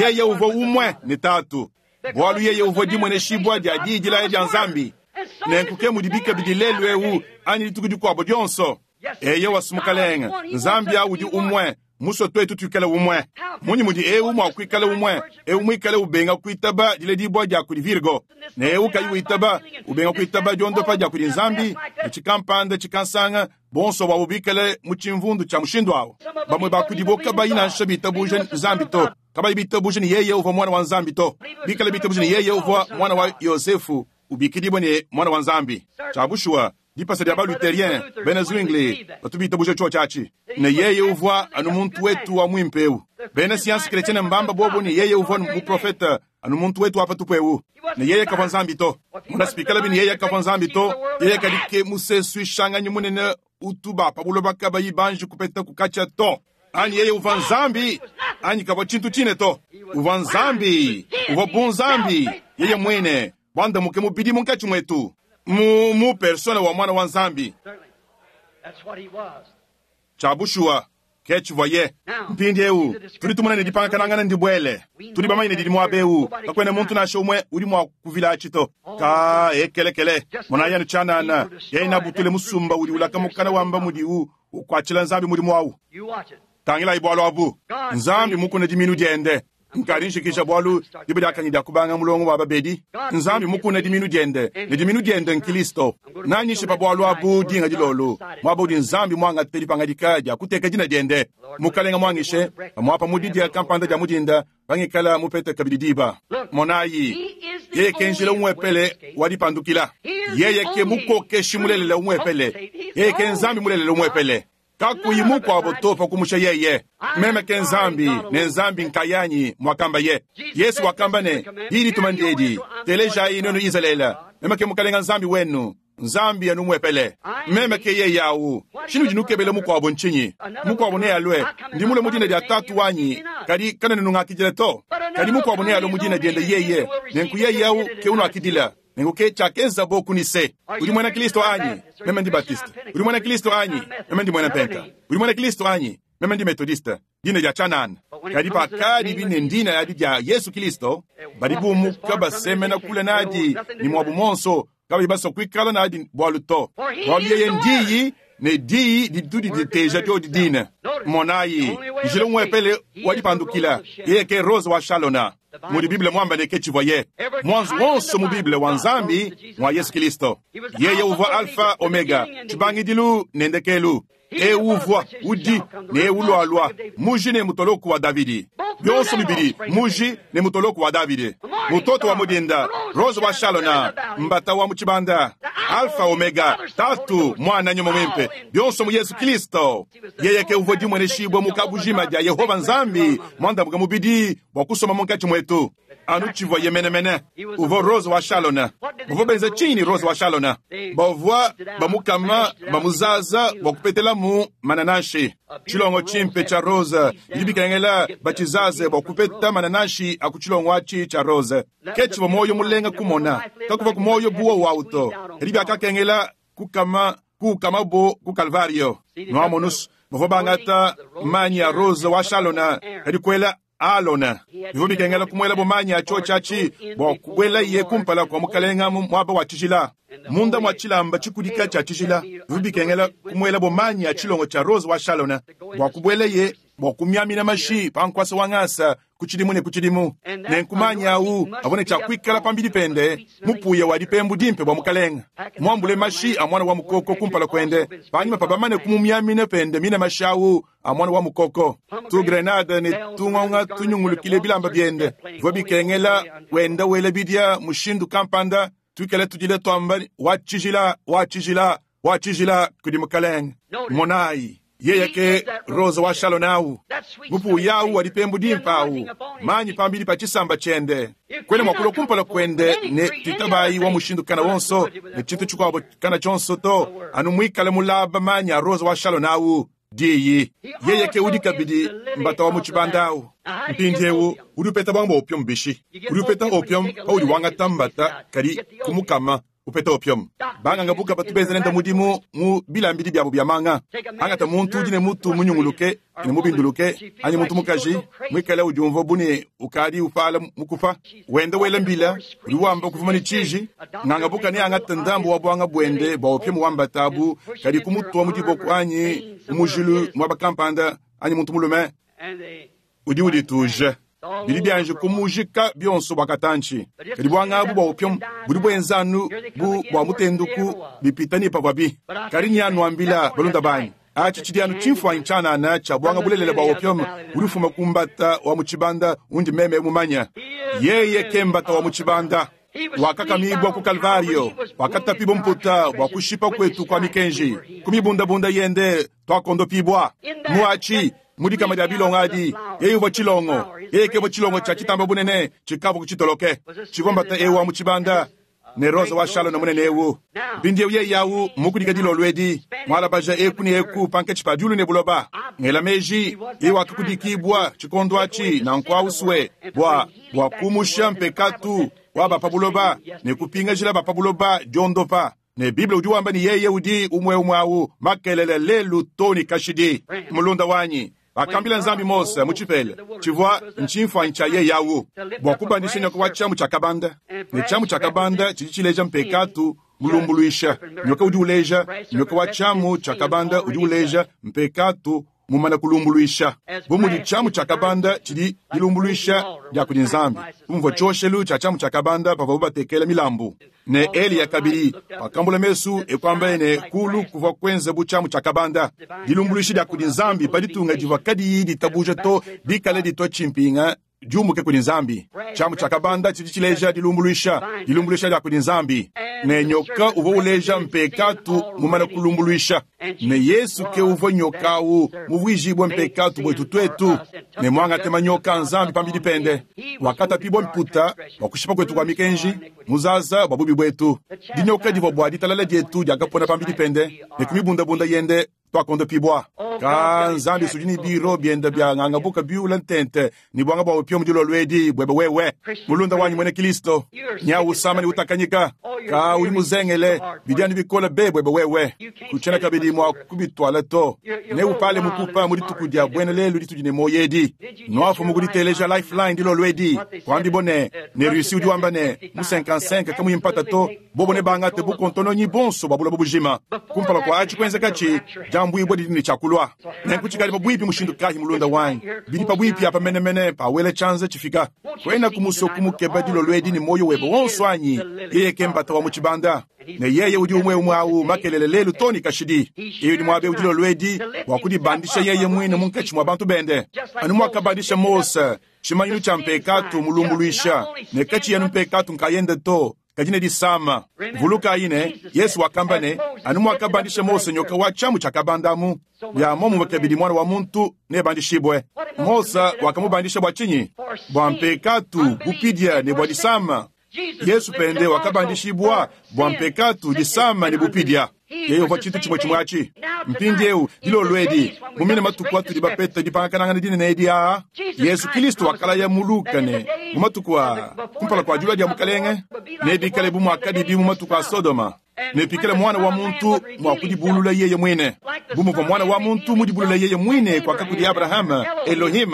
yeye uvua umwe ne tatu bwalu yeye uvua dimweneshibwa dia diyi dilaya dia Nzambi nenkuke mudi bikabidi lelu ewu anyi dituku dikuabo dionso eye wasumukalenga Nzambi awu udi umwe muso twetu tuikale umwe munyi mudi ewu mua kuikala umwe ewu muikale ubenga kuitaba diledibwa dia kudi Virgo ne ewu kayi uitaba ubenga kuitaba diondopa dia kudi Nzambi ne tshikampanda tshikansanga bonso bwabo bikale mu tshimvundu tshia mushindu awo bamwe bakudibo kabayi nansha bitabuja Nzambi to kabayi bitabuja ni yeye uvua mwana wa Nzambi to bikale bitabuja ni yeye uvua mwana wa Yosefu ubikidibwe ne mwana wa Nzambi tshiabushuwa dipasa dia baluterien bena Zwingli batu bitabuja tsho tshiatshi ne yeye uvua anu muntu wetu wa mwimpeu bena science chrétienne mbamba bobo ne yeye uvua muprofeta anu muntu wetu apa tupu ne yeye kavua Nzambi to munasipikala bini yeye kavua Nzambi to yeye kadike musesu ishanganyi munene utuba pabuloba kabayi banji kupeta kukacha to anyi yeye uvua Nzambi anyi kavua tshintu tshine to uvua Nzambi uvua bunzambi yeye mwene bwandamuke mubidi munkatshi mwetu mu mu persona wa mwana wa Nzambi tshiabushuwa ke tshivuaye mpindieu tudi tumona ne dipangakanangana ndibwele tudi bamanye ne didi muaba ewu kakuena muntu nansha umwe udi mua kuvila atshi to ka ekelekele monayi anu tshianana yeye nabutule musumba udi ulakamukana wamba mudiwu ukuatshila Nzambi mudimu awu tangilayi bwalu abu Nzambi mukuna diminu diende nkadi nshikisha bwalu diba diakanyi dia kubanga mulongo wa babedi Nzambi mukuna diminu diende ne diminu diende nkilisto nanyishe pa bwalu abu dinga dilolo mwaba udi Nzambi mwangate dipangadika dia kuteka dina diende mukalenga mwangishe pamwapa mudi dia kampanda dia mudinda pangikala mupete kabidi diba monayi yeye ke njila umwepele wa dipandukila yeye ke mukokeshi mulelele umwepele yeye ke Nzambi mulelele umwepele kakuyi mukwabo to pakumusha yeye meme ke Nzambi ne Nzambi nkayanyi mwakamba ye Yesu wakamba ne yili tumandiedi telejayi nenu Israela meme ke mukalenga Nzambi wenu Nzambi anu mwepele meme ke yeye awu tshinu dinukebele mukwabo ntshinyi mukwabo ne alwe ndi mule mudina dia tatu wanyi kadi kana nunungakidila to kadi mukwabo ne alwe mudina diende yeye nenku yeye awu ke unuakidila nenku ke tshiakenza bo kunise udi mwena Kristo anyi meme ndi Baptiste udi mwena Kristo anyi meme ndi mwena Penta udi mwena Kristo anyi meme ndi Methodiste dina dia tshianana kadi pakadi bine ndina yadi dia Yesu Kristo badi bumuka basemena kule nadi ni mwabu monso kabayi basua kuikala nadi bwalu to bwalu yeye ndiyi ne diyi ditu diteja dio didina monayi njila umwepele wadipandukila yeye ke Rose wa Shalona mudi Bible mwamba ne ke tshivuaye mwanzu wonso mu Bible wa Nzambi mwa Yesu Kristo yeye uvua Alpha Omega tshibangidilu ne ndekelu ewu uvua udi ne ewu lwalwa muji ne mutoloku wa Davidi byonso bibili muji ne mutoloku wa Davidi mutoto wa mudinda Rose wa Shalona mbata wa muchibanda Alpha Omega tatu mwana nyuma mwimpe byonso mu Yesu Kristo yeye ke uvua dimweneshibwa mu kabujima dia Yehova Nzambi mwandamuka mubidi bwa kusoma munkatshi mwetu anu tshivuaye menemene uvua Rose wa Shalona bavua benza tshini Rose wa Shalona bavua bamukama bamuzaza bwa kupetelamu mananashi tshilongo tshimpe tshia rose bidi bikengela batshizaze bwa kupeta mananashi aku tshilongo atshi tshia rose ke tshivua moyo mulenga kumona kakuva ku moyo buwa wawu to kadi biakakengela kukama kukama bo ku Kalvario nuamonus bavua bangata manyi ya rose wa Shalona kadi kuela Alona bivua bikengela kumuela bumanyi atshio tshiatshi bua kubuela ye kumpala kua mukalenga mu muaba wa tshijila Munda mwa tshilamba tshikudika tshia tshijila, bivua bikengela kumuelabo manyi a tshilongo tshia rose wa Shalona bua kubueleye bua kumiamina mashi pa nkuasa wa ngasa ku tshidimu ne ku tshidimu. Nenku manyi awu avua ne tshia kuikala pambidi pende mupuya wa dipembu dimpe bua mukalenga, muambule mashi a muana wa mukoko kumpala kuende, panyima pa bamane kumumiamina pende mine mashi awu a muana wa mukoko. Tu grenade ne tungonga tunyungulukile bilamba biende bivua bikengela wenda wela bidia mushindu kampanda tuikale tudile twamba wa tshijila wa tshijila wa tshijila kudi mukalenga. Monayi, yeye ke rose wa Shalona awu, mupuya awu wa dipembu dimpe awu, manyi pambidi pa tshisamba tshiende. Kwena mwakulua kumpala kuende ne tuitabayi wa mushindu kana wonso ne tshintu tshikuabo kana tshionso to, anu muikale mulaba manyi a rose wa Shalona awu diyi. Yeye ke udi kabidi mbata wa mu tshibanda awu. Mpindiewu udi upeta bwanga bwa opium bishi. Udi upeta opium paudi wangata mbata kadi kumukama upeta opium. Banganga buka batu benza nende mudimu mu bilambidi byabo bya manga. Angata muntu udi ne mutu munyunguluke ne mubinduluke anyi muntu mukaji muikale udiumvua bune ukadi upala mukufa wenda wela mbila udi wamba kuvuma ne tshiji. Nganga buka ne angata ndambu wa bwanga bwende bwa opium wambata abu kadi kumutua mu diboko anyi mujilu mwaba kampanda anyi muntu mulume udi udituje. Bidi byanje kumujika byonso bwa katanchi. Kadi bwanga abu bwa opium budi bwenza anu bu bwa mutenduku bipita ni pavua bi. Kadi nyanuambila balunda banyi, achi tshidi anu tshimfuanyi tshianana tshia bwanga bulelela bwa opium budi bufuma ku mbata wa mu tshibanda undi meme mumanya. Yeye ke mbata wa mu tshibanda wakakamibwa ku Kalvario, wakatapibwa mputa bwa kushipa kwetu kwa mikenji, kumibundabunda yende twakondopibwa. Muachi mudikama dia bilongo adi, yeye uvua tshilongo, yeye ke uvua tshilongo tshia tshitamba bunene tshikavua kutshitoloke. Tshivua mbata ewu wa mu tshibanda ne rose wa Shalona munene ewu. Mpindiewu yeye awu mukudika dilolo edi, mwalabaja eku ne eku pankatshi pa diulu ne buloba. Ngela meji yeye wakakudikibwa tshikondo atshi nanku awusue bua bua kumusha mpekatu wa ba pa buloba ne kupingajila ba pa buloba diondopa. Ne Bible udi wamba ni yeye udi umwe umwe awu makelele lelu toni kashidi. Mulunda wanyi bakambila Nzambi Mose mu tshipela tshivua ntshimfuanyi tshia yeye awu bua kubandisha nyoka wa tshiamu tshia kabanda. Ne tshiamu tshia kabanda tshidi tshileja mpekatu mulumbuluisha. Nyoka udi uleja nyoka wa tshiamu tshia kabanda udi uleja mpekatu mumana kulumbuluisha. Bu mudi tshiamu tshia kabanda tshidi dilumbuluisha dia kudi Nzambi. Kumvua tshioshelu tshia tshiamu tshia kabanda pavuabu batekela milambu. Ne Eliya kabidi wakambula mesu ekwamba ne kulu kuvua kwenza bu tshiamu tshia kabanda. Dilumbuluisha dia kudi Nzambi pa ditunga divua kadiyi ditabuja to dikale ditwa tshimpinga diumuke kudi Nzambi. Tshiamu tshia kabanda tshidi tshileja dilumbuluisha, dilumbuluisha dia kudi Nzambi. Ne nyoka uvua uleja mpekatu mumana kulumbuluisha. Ne Yesu ke uvua nyoka awu muvuijibue mpekatu bwetu twetu. Ne mwangate manyoka Nzambi pambidi pende. Wakatapibwa mputa bua kushipa kwetu kwa mikenji, muzaza bua bubi bwetu. Dinyoka divua bua ditalala dietu diakapona pambidi pende, ne kumibundabunda yende twakondopibwa. Ka Nzambi sudi ni biro bienda bya ngangabuka biula ntente ni bwanga bwa opium dilolo edi bwebe wewe. Mulunda wanyi mwene Kristo, nyawu usama ni utakanyika. Ka uli muzengele bidiani bikola be bwebe wewe. Kuchena kabidi mwa kubitwala to. Ne upale mukupa muri tukudia bwene lelu ditudi ne moyedi. Noafu muguditeleja lifeline dilolo edi. Kwambi bone ne Russie udi wamba ne mu cinquante-cinq kamu impata to bobo ne bangate bukontono nyi bonso babula bubujima. Kumpala kwa achi kwenza kachi jambu ibwe didi ne chakulwa. Nenkuchikali pabwipi mushindu kahi mulunda wanyi. Bidi pabwipi apa menemene pawele chanze chifika. Kwena kumuso kumukeba dilolo edi ni moyo webo wonso anyi. Yeye ke mbata wa mu tshibanda. Ne yeye udi umwe umwe awu makelele lelu toni kashidi. Yeye udi mwabe udi dilolo edi bua kudibandisha yeye mwine munkatshi mwa bantu bende. Anu mwakabandisha Mose tshimanyinu tshia mpekatu mulumbuluisha. Ne katshi yanu mpekatu nkayende to kadi ne disama. Vuluka ine Yesu wakamba ne anu mwakabandisha Mose nyoka wa tshiamu tshia kabandamu. Ya momu kabidi mwana wa muntu nebandishibwe. Mose wakamubandisha bua tshinyi? Bua mpekatu bupidia ne bua disama. Yesu pende wakabandishibwa bua mpekatu disama ne bupidia. Yeye uvua tshintu tshimwe tshimwe atshi. Mpindiewu dilolo edi mumine matuku atudi bapeta dipangakanangana dinene edi aa. Yesu Kristo wakalaya mu Luka ne mu matuku a kumpala kua dilua dia mukalenge nebikale bu muakadibi mu matuku a Sodoma. Ne pikala Mwana wa muntu mwa kudibulula yeye mwine, bu muvwa Mwana wa muntu mudibulula yeye mwine kwaka kudi Abrahama, Elohim,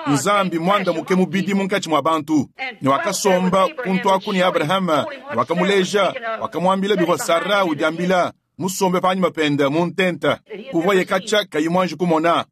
Nzambi mwandamuke mubidi munkatshi mwa bantu, ne wakasomba kuntu aku ne Abrahama, ne wakamuleja, wakamwambila bivwa Sara udiambila, musombe panyima pende mu ntenta, kuvwaye katshia kayi mwanji kumona.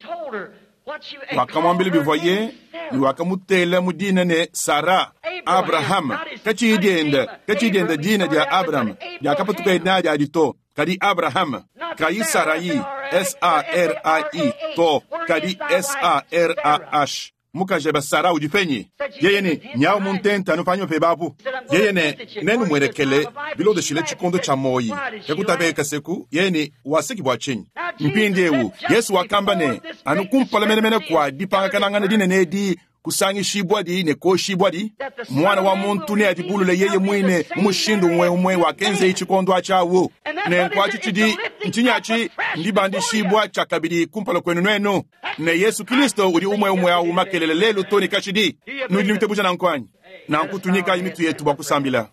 Wakamwambila bivwaye ne wakamutela mu dina ne Sara. Abrahama katshiyi dienda katshiyi dienda dina dia Abrahama diakapatuka nadi adi to, kadi Abrahama kayi Sarai S A R A I to, kadi S A R A H. Mukaji eba Sara udi penyi? Yeye ne nyawu mu ntenta anu panyima pebe apu. Yeye ne nenumwenekele bilondeshile tshikondo tshia moyi. Kakutapeka seku yeye ne waseki bwa tshinyi? Mpindiewu Yesu wakamba ne anu kumpala menemene kwa dipangakanangana dinene edi kusangishibwa di ne koshibwa di mwana wa muntu ne adibulule yeye mwine mu mushindu umwe umwe wakenzeyi tshikondo atshiawu. Nenku atshi tshidi ntshinyi ndibandishibwa tshiakabidi kumpala kwenu nwenu. Ne Yesu Kristo udi umwe umwe awu makelele lelu to ne kashidi. Nudi nuitabuja nanku anyi? Nanku tunyikayi mitu yetu bua kusambila.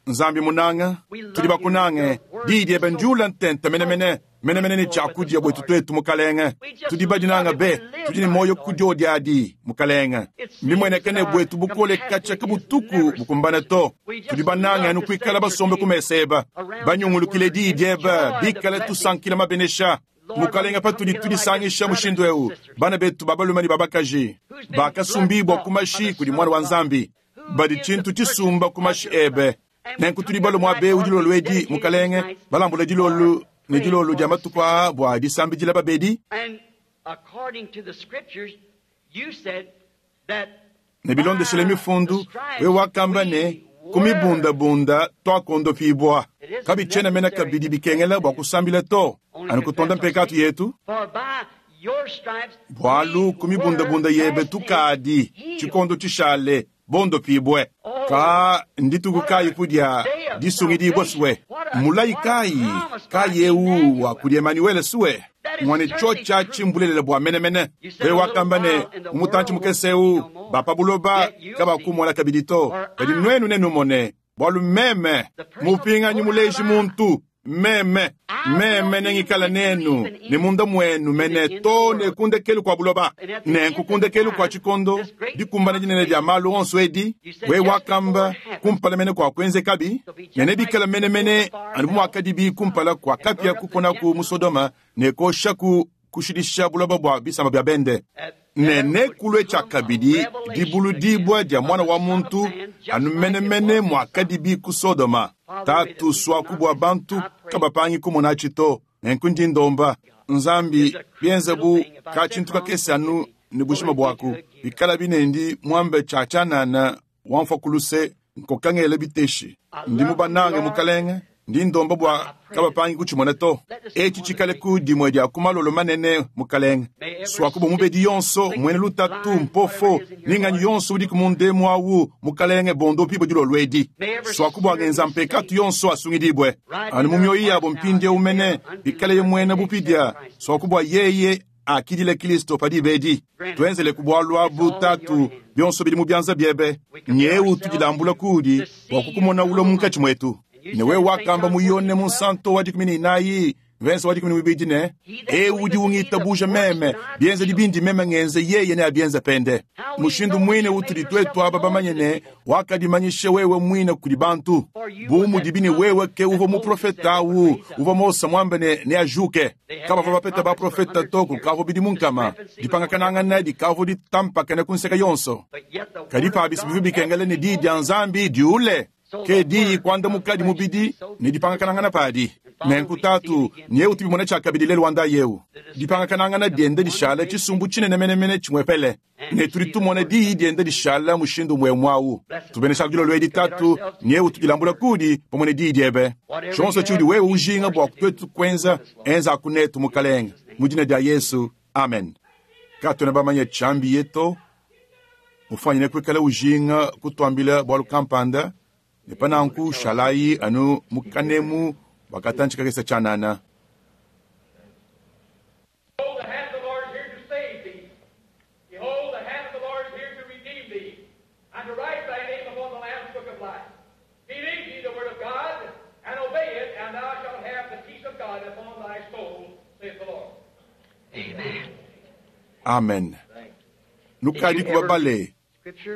Nzambi munanga, tudi bakunange, diyi diebe ndiula ntenta menemene menemene ne tshiakudia bwetu twetu mukalenge. Tudi badinanga be, tudi ne moyo kudiodi adi mukalenge. Mbimwenekene bwetu bukole katshia kabutuku bukumbane to. Tudi banange anu kuikala basombe ku mesa eba, banyungulukile diyi diebe, bikale tusankila mabenesha. Mukalenge patudi tudisangisha mushindu eu, bana betu babalume ne babakaji bakasumbibwa ku mashi kudi mwana wa Nzambi, badi tshintu tshisumba ku mashi ebe. Nenku tudi balomwa abe dilolo edi mukalenge, balambula dilolo ne dilolo dia matuku aa bua disambidila babedi. Ne bilondeshile mifundu, we wakamba ne ku mibundabunda twakondopibwa. Kabitshiena mena kabidi bikengela bua kusambila to, anu kutonda mpekatu yetu. Bualu ku mibundabunda yebe tukadi tshikondo tshishale bondopibwe. Ka ndituku kayi kudia disungidibwa suwe? Mulayi kayi kayi eu wa kudi Emmanuel suwe? Mwane tshotsha tshimbulelela bua menemene. We wakamba ne umutantshi mukese eu bapa buloba kabakumona kabidi to, kadi nwenu nenumone, bualu meme mupinganyi muleji muntu, meme meme nengikala nenu ne munda mwenu mene to ne kundekelu kwa buloba. Nenku kundekelu kwa tshikondo dikumbana dinene dia malu onso edi, we wakamba kumpala mene kwa kuenzekabi, ne nebikala menemene anu bu muakadibi kumpala kwa kapia kuponaku mu Sodoma ne koshaku kushidisha buloba bua bisamba bia bende. Ne nekulue tshiakabidi dibuludibwa dia mwana wa muntu anu menemene muakadibi ku Sodoma. Tatu swaku bua bantu kabapangi kumona tshito. Nenku ndi ndomba Nzambi bienze bu ka tshintu kakese anu ne bushima buaku, bikala binendi muambe tshia tshianana wamfa kuluse nkokangele biteshi. Ndi mubanange mukalenge, ndi ndomba bua kabapangi kutshimona to. Etshi tshikale ku dimue dia ku malolo manene mukalenge. Swaku bua mubedi yonso mwene lutatu mpofo ninganyi yonso udi ku mundemu awu mukalenge bondopibo dilolo edi. Swaku bua ngenza mpekatu yonso asungidibwe anu mu mioyo yabo mpindiewu mene bikale ye mwene bupidia. Swaku bua yeye akidile Kristo padi bedi. Tuenzele ku bualu abu tatu bionso bidi mu bianza biebe. Nyeu tudilambula kudi bua kukumona ulo munkatshi mwetu. Ne we wakamba mu Yone munsanto wa dikumi ne inayi verse wa dikumi ne mibidi ne, eu udi ungitabuja meme, bienze dibindi meme ngenze yeye ne abienze pende. Mushindu mwine utudi twetu aba bamanye ne wakadimanyishe wewe mwine kudi bantu. Bu mudibi ne wewe ke uvo muprofeta awu, uvo Mose mwambe ne neajuke. Kabavua bapeta baprofeta to kukavua bidimu nkama. Dipangakanangana dikavua ditampakane ku nseka yonso. Kadi pabi bivua bikengela ne diyi dia Nzambi diule. Ke diyi kuandamuka mubidi ne dipangakanangana padi. Nenku tatu nyeu tubimona tshiakabidi lelu wanda yeu. Dipangakanangana diende dishala tshisumbu tshinene menemene tshimwepele. Ne tudi tumona diyi diende dishala mushindu umwe mwawu. Tubenesha dilolo edi tatu nyeu tudilambula kudi pamwe ne diyi diebe. Tshionso tshiudi wewe ujinga bua twetu kuenza, enza kunetu mukalenge. Mu dina dia Yesu, amen. Katwena bamanye tshiambi yeto, mufanyine kuikala ujinga kutuambila bualu kampanda, ne pananku shalayi anu mukanemu wakatantshi kakese tshianana. Behold, the hand of the Lord is here to save thee. Behold, the hand of the Lord is here to redeem thee, and to write thy name upon the Lamb's book of life. Believe ye the word of God, and Amen. Nukadi kubabale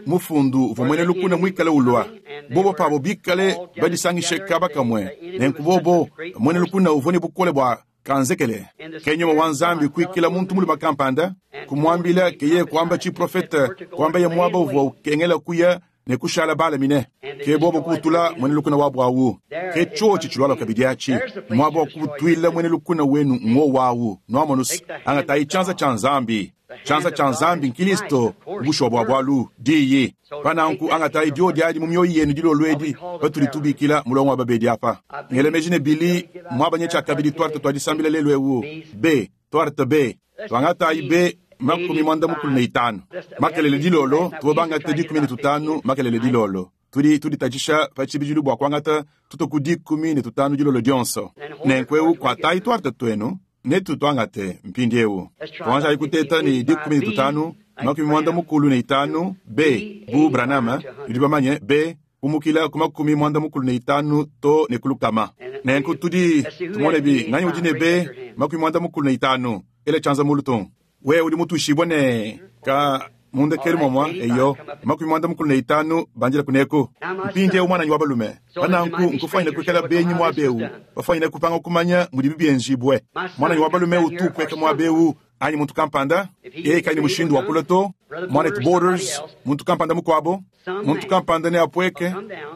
mufundu uvua muena lukuna muikale ulua bobo pabo bikale badisangishe kaba kamwe nenku bobo muena lukuna uvua ne bukole bua kanzekele ke nyuma wa Nzambi kuikila muntu muluma kampanda kumwambila keye kuamba chiprofete kuamba ye mwaba uvua ukengela kuya ne kushala balamine ke bobo kutula mwene lukuna wabo awu ke chochi chilwala kabidi achi mwaba wakutwila mwene lukuna wenu ngo wawu nwamonus angatayi chanza cha Nzambi chanza cha Nzambi nkilisto bushwa bwa bwalu diyi pananku angatayi dio diadi mu mioyo yenu dilolwedi patuli tubikila mulongo wa babedi apa ngelemeji ne bili mwabanye cha kabidi twarte twadisambila lelu ewu b twarte b twangatayi b makumi mwanda mukulu ne itanu makelele dilolo tubo dikumi ne tutanu makelele dilolo tudi tuditajisha pachibijilu bua kuangata tutoku dikumi ne tutanu dilolo dionso nenku kuatayi twarte twenu netu twangate mpindi ewu tuanjayi kuteta ni dikumi ne tutanu makumi mwanda mukulu ne itanu b bu Branham tudi bamanye b kumukila ku makumi mwanda mukulu ne itanu to ne kulukama nenku tudi tumone bi nganyi udi ne b makumi mwanda mukulu ne itanu ele chanza mulu tung we udi mutushibwa ne ka mundekeli momwa eyo makumi mwanda mukulu ne itanu banjila kuneko mpindi ewu mwananyi wa balume pananku nkufanyine kuikala benyi mwabewu bafanyine kupanga kumanya mudi bibienzibwe mwananyi wa balume utukweka mwabewu anyi muntu kampanda yeye kaini mushindu wa kula to mwanetu Borders muntu kampanda mukwabo muntu kampanda ne apweke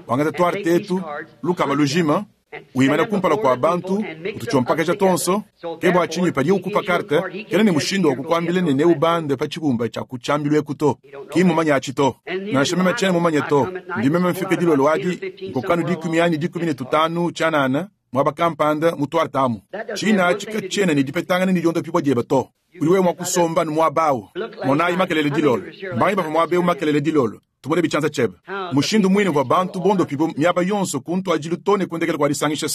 wangata twarte etu lukama lujima wimana kumpala kwa bantu utuchompakaja tonso ke bua tshinyi padi ukupa karte kena ne mushindu wa kukuambila ne neubande pa tshibumba tshia kutshambilu eku to ki mumanya atshi to nansha meme tshiena mumanye to ndi meme mfike dilolo adi nkokanu dikumi anyi dikumi ne tutanu tshianana mwaba kampanda mutwartamu tshina atshi katshiena ne dipetangana ne diondopibua diebe to udi wewe mwa kusomba ne muabawu monayi makelele dilolo mbangi bava muabewu makelele dilolo tumone bichanza chebe mushindu mwine wa bantu bondo pibo miaba yonso kuntu ajilu tone kundekela kwa disangisha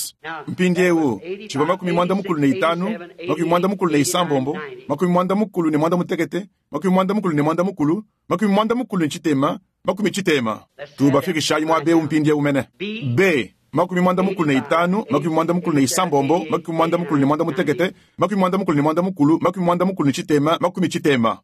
mpindi ewu chiva makumi mwanda mukulu ne itanu makumi mwanda mukulu ne isambombo makumi mwanda mukulu ne mwanda mutekete makumi mwanda mukulu ne mwanda mukulu makumi mwanda mukulu ne chitema makumi chitema tubafikishayi mwabewu mpindi ewu mene b makumi mwanda mukulu ne itanu makumi mwanda mukulu ne isambombo makumi mwanda mukulu ne mwanda mutekete makumi mwanda mukulu ne mwanda mukulu makumi mwanda mukulu ne chitema makumi chitema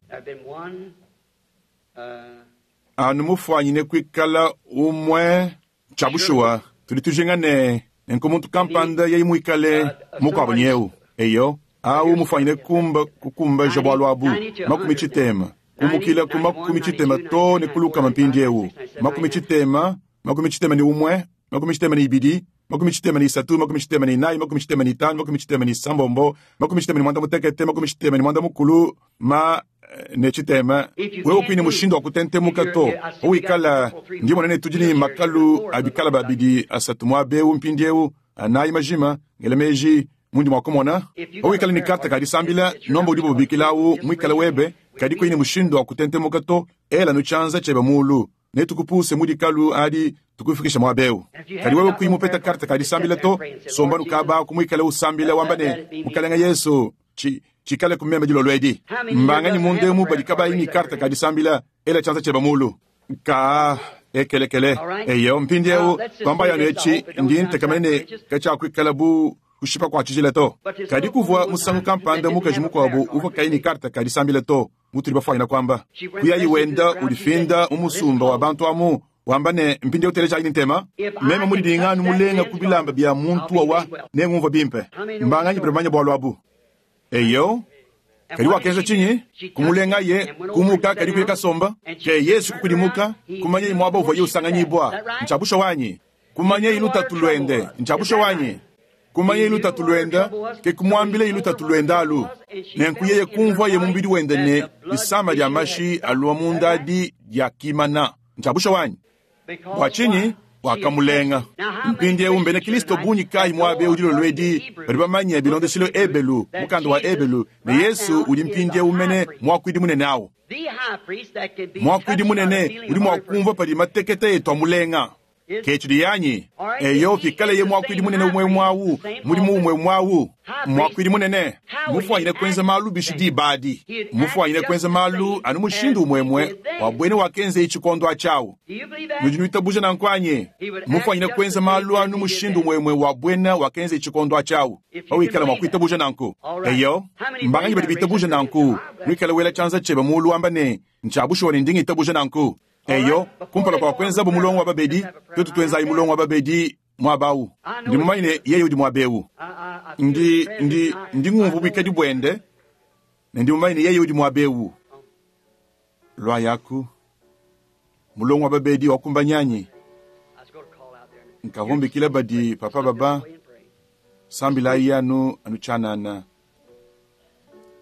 anu mufwanyine kuikala umwe chabushuwa tuli tujinga ne nenku muntu kampanda yei muikale mukwabo nyeu eyo awu mufwanyine kumba kukumbaja bwalu abu makumi chitema kumukila ku makumi chitema to ne kulukama mpindi ewu makumi chitema makumi chitema ni umwe makumi chitema ni ibidi makumi chitema ni isatu makumi chitema ni inayi makumi chitema ni itanu makumi chitema ni isambombo makumi chitema ni mwanda mutekete makumi chitema ni mwanda mukulu ma ne chitema wewe kwini mushindu wa kutentemuka to uikala ndi monene tudi ni makalu abikala babidi asatu mwabewu mpindi ewu anayi majima ngelemeji mundi mwakumona uikala ni karte kadisambila nomba udi bubikilawu mwikala webe kadi kwini mushindu wa kutentemuka to ela nuchanza chebe mulu netukupuse mudikalu adi tukufikisha mwabewu kadi wewe kuimupeta karte kadisambila to somba nukaba kumwikala usambila wambane mukalenga Yesu chi chikale kumemba dilolwedi mbanganyi mundemu badikabayi ni karte kadisambila ela chanza cheba mulu ka ekelekele eyo mpindi ewu kwamba yanu echi ndi ntekamene kachakuikala bu kushipa kwa chijila to kadi kuvua musangu kampanda mukaji mukwabo uvua kayi ni karte kadisambila to mutuli bafwanyina kwamba kuyayi wenda ulifinda mumusumba wa bantu amu wamba ne mpindi uteleja ini ntema meme mulidinganu mulenga kubilamba bya muntu wawa nengumva bimpe mbanganyi bamanya bwalu abu eyo kadi wakenza chinyi kumulenga ye kumuka kadi kuye kasomba ke Yesu kukudimuka kumanye imwaba uva ye usanganyibwa nchabusha wanyi kumanye ilutatu lwende nchabusha wanyi kumanye ilutatu lwenda ke kumwambile ilutatu lwenda alu nenku yeye kumva ye mumbidi wende ne isama lya mashi aluwa mundadi lya kimana nchabusha wanyi bwa chinyi wakamulenga mpindi ewu mbene Kristo bunyi kayi mwabe udilo lwedi bali bamanye bilondeshilo ebelu mukanda wa ebelu ne Yesu uli mpindi ewu mene mwakwidi munene awo mwakwidi munene uli mwakumva pali matekete yetu amulenga Ke tshidi anyi? Eyo, pikaleye muakuidi munene umwe umwe awu, mudimu umwe umwe awu, muakuidi munene mufuanyine kuenza malu bishi diba adi, mufuanyine kuenza malu anu mushindu umwe umwe wa bwene wakenza tshikondo atshi. Nudi nuitabuja nanku anyi? Mufuanyine kuenza malu anu mushindu umwe umwe wa bwene wakenza tshikondo atshi. Pawikala mwakuitabuja nanku. Eyo, mbanganyi badi bitabuja nanku, nuikala wela tshianza tshiebe mulu wamba ne ntshiabushuwa ne ndingi itabuja nanku. Eyo, kumpala kwa kwenza bu mulongo wa babedi, twetu twenzayi mulongo wa babedi mwabau. Ndi mumanye ne yeye udi mwabeu. Ndi ndi ndi ngumvu bwikadi bwende, ne ndi mumanye ne yeye udi mwabeu. Lwa yaku mulongo wa babedi wakumbanyanyi. Nkavumbikila badi papa baba sambilayi anu anu chanana.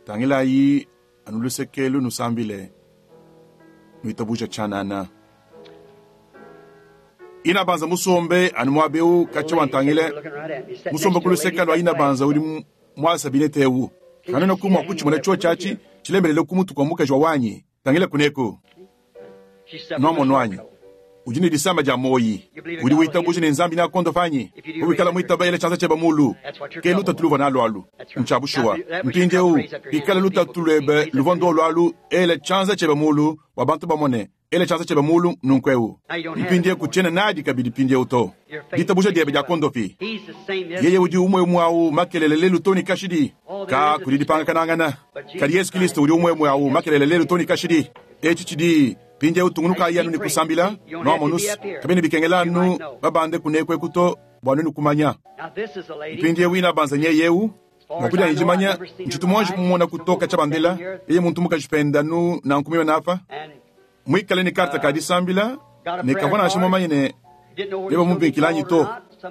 Tangilayi anu lusekelu nusambile. Nuitabuja chanana. Ina banza musombe anu mwabeu kacha wantangile. Musombe kuluseka lwa ina banza uli mwasa binete ewu. Kanena kumwa kuchimona chuo chachi chilembelele kumutu kwa mukaji wa wanyi. Tangile kuneko. Nomo nwanyi. Ujini disamba ja moyi. Udi witabuja ne nzambi na kondo fanyi. Ubikala mwitaba ile chanza cheba mulu. Ke luta tuluva na lwalu. Nchabushuwa. Mpinde u. Ikala luta tulebe luvondo lwalu ele chanza cheba mulu wa bantu bamone. Ele chanza cheba mulu nunkweu. Mpinde kuchena nadi kabidi pinde uto. Ditabuja diebe ja kondo fi. Yeye udi umwe umwe makelele lelu toni kashidi. Ka kudidipanga kanangana. Kadi Yesu Kristo udi umwe umwe makelele lelu toni kashidi. Echi chidi pinje utungunuka yanu ni kusambila no monus kabini bikengelanu babande kunekwe kuto bwanunu kumanya pinje wina banza nyeyeu Mwakuja njimanya nchitumwanji kumwona kutoka chabandela yeye muntu mukajipenda nu na nkumiwe napa mwikale ni karta kadisambila ne kavona ashimomanye ne yeba mubinkilanyi to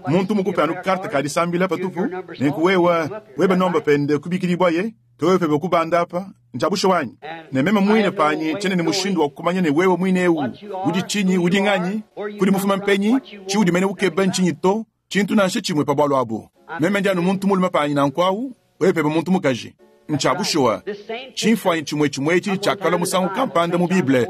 muntu mukupe anu karta kadisambila patupu ne kuwewa weba nomba pende kubikilibwa ye towe pebe kubanda apa nchabusho wanyi ne mema mwine panyi chene ni mushindu wa kukumanya ne wewe mwine ewu udi chinyi udi nganyi kuli mufuma mpenyi chiudi mene ukeba nchinyi to chintu nanshe chimwe pa bwalo abu meme ndi anu muntu mulume panyi na nkwawu wewe pebe muntu mukaji nchabushowa chimfwanyi chimwe chimwe ichi chakala musangu kampanda mu Bible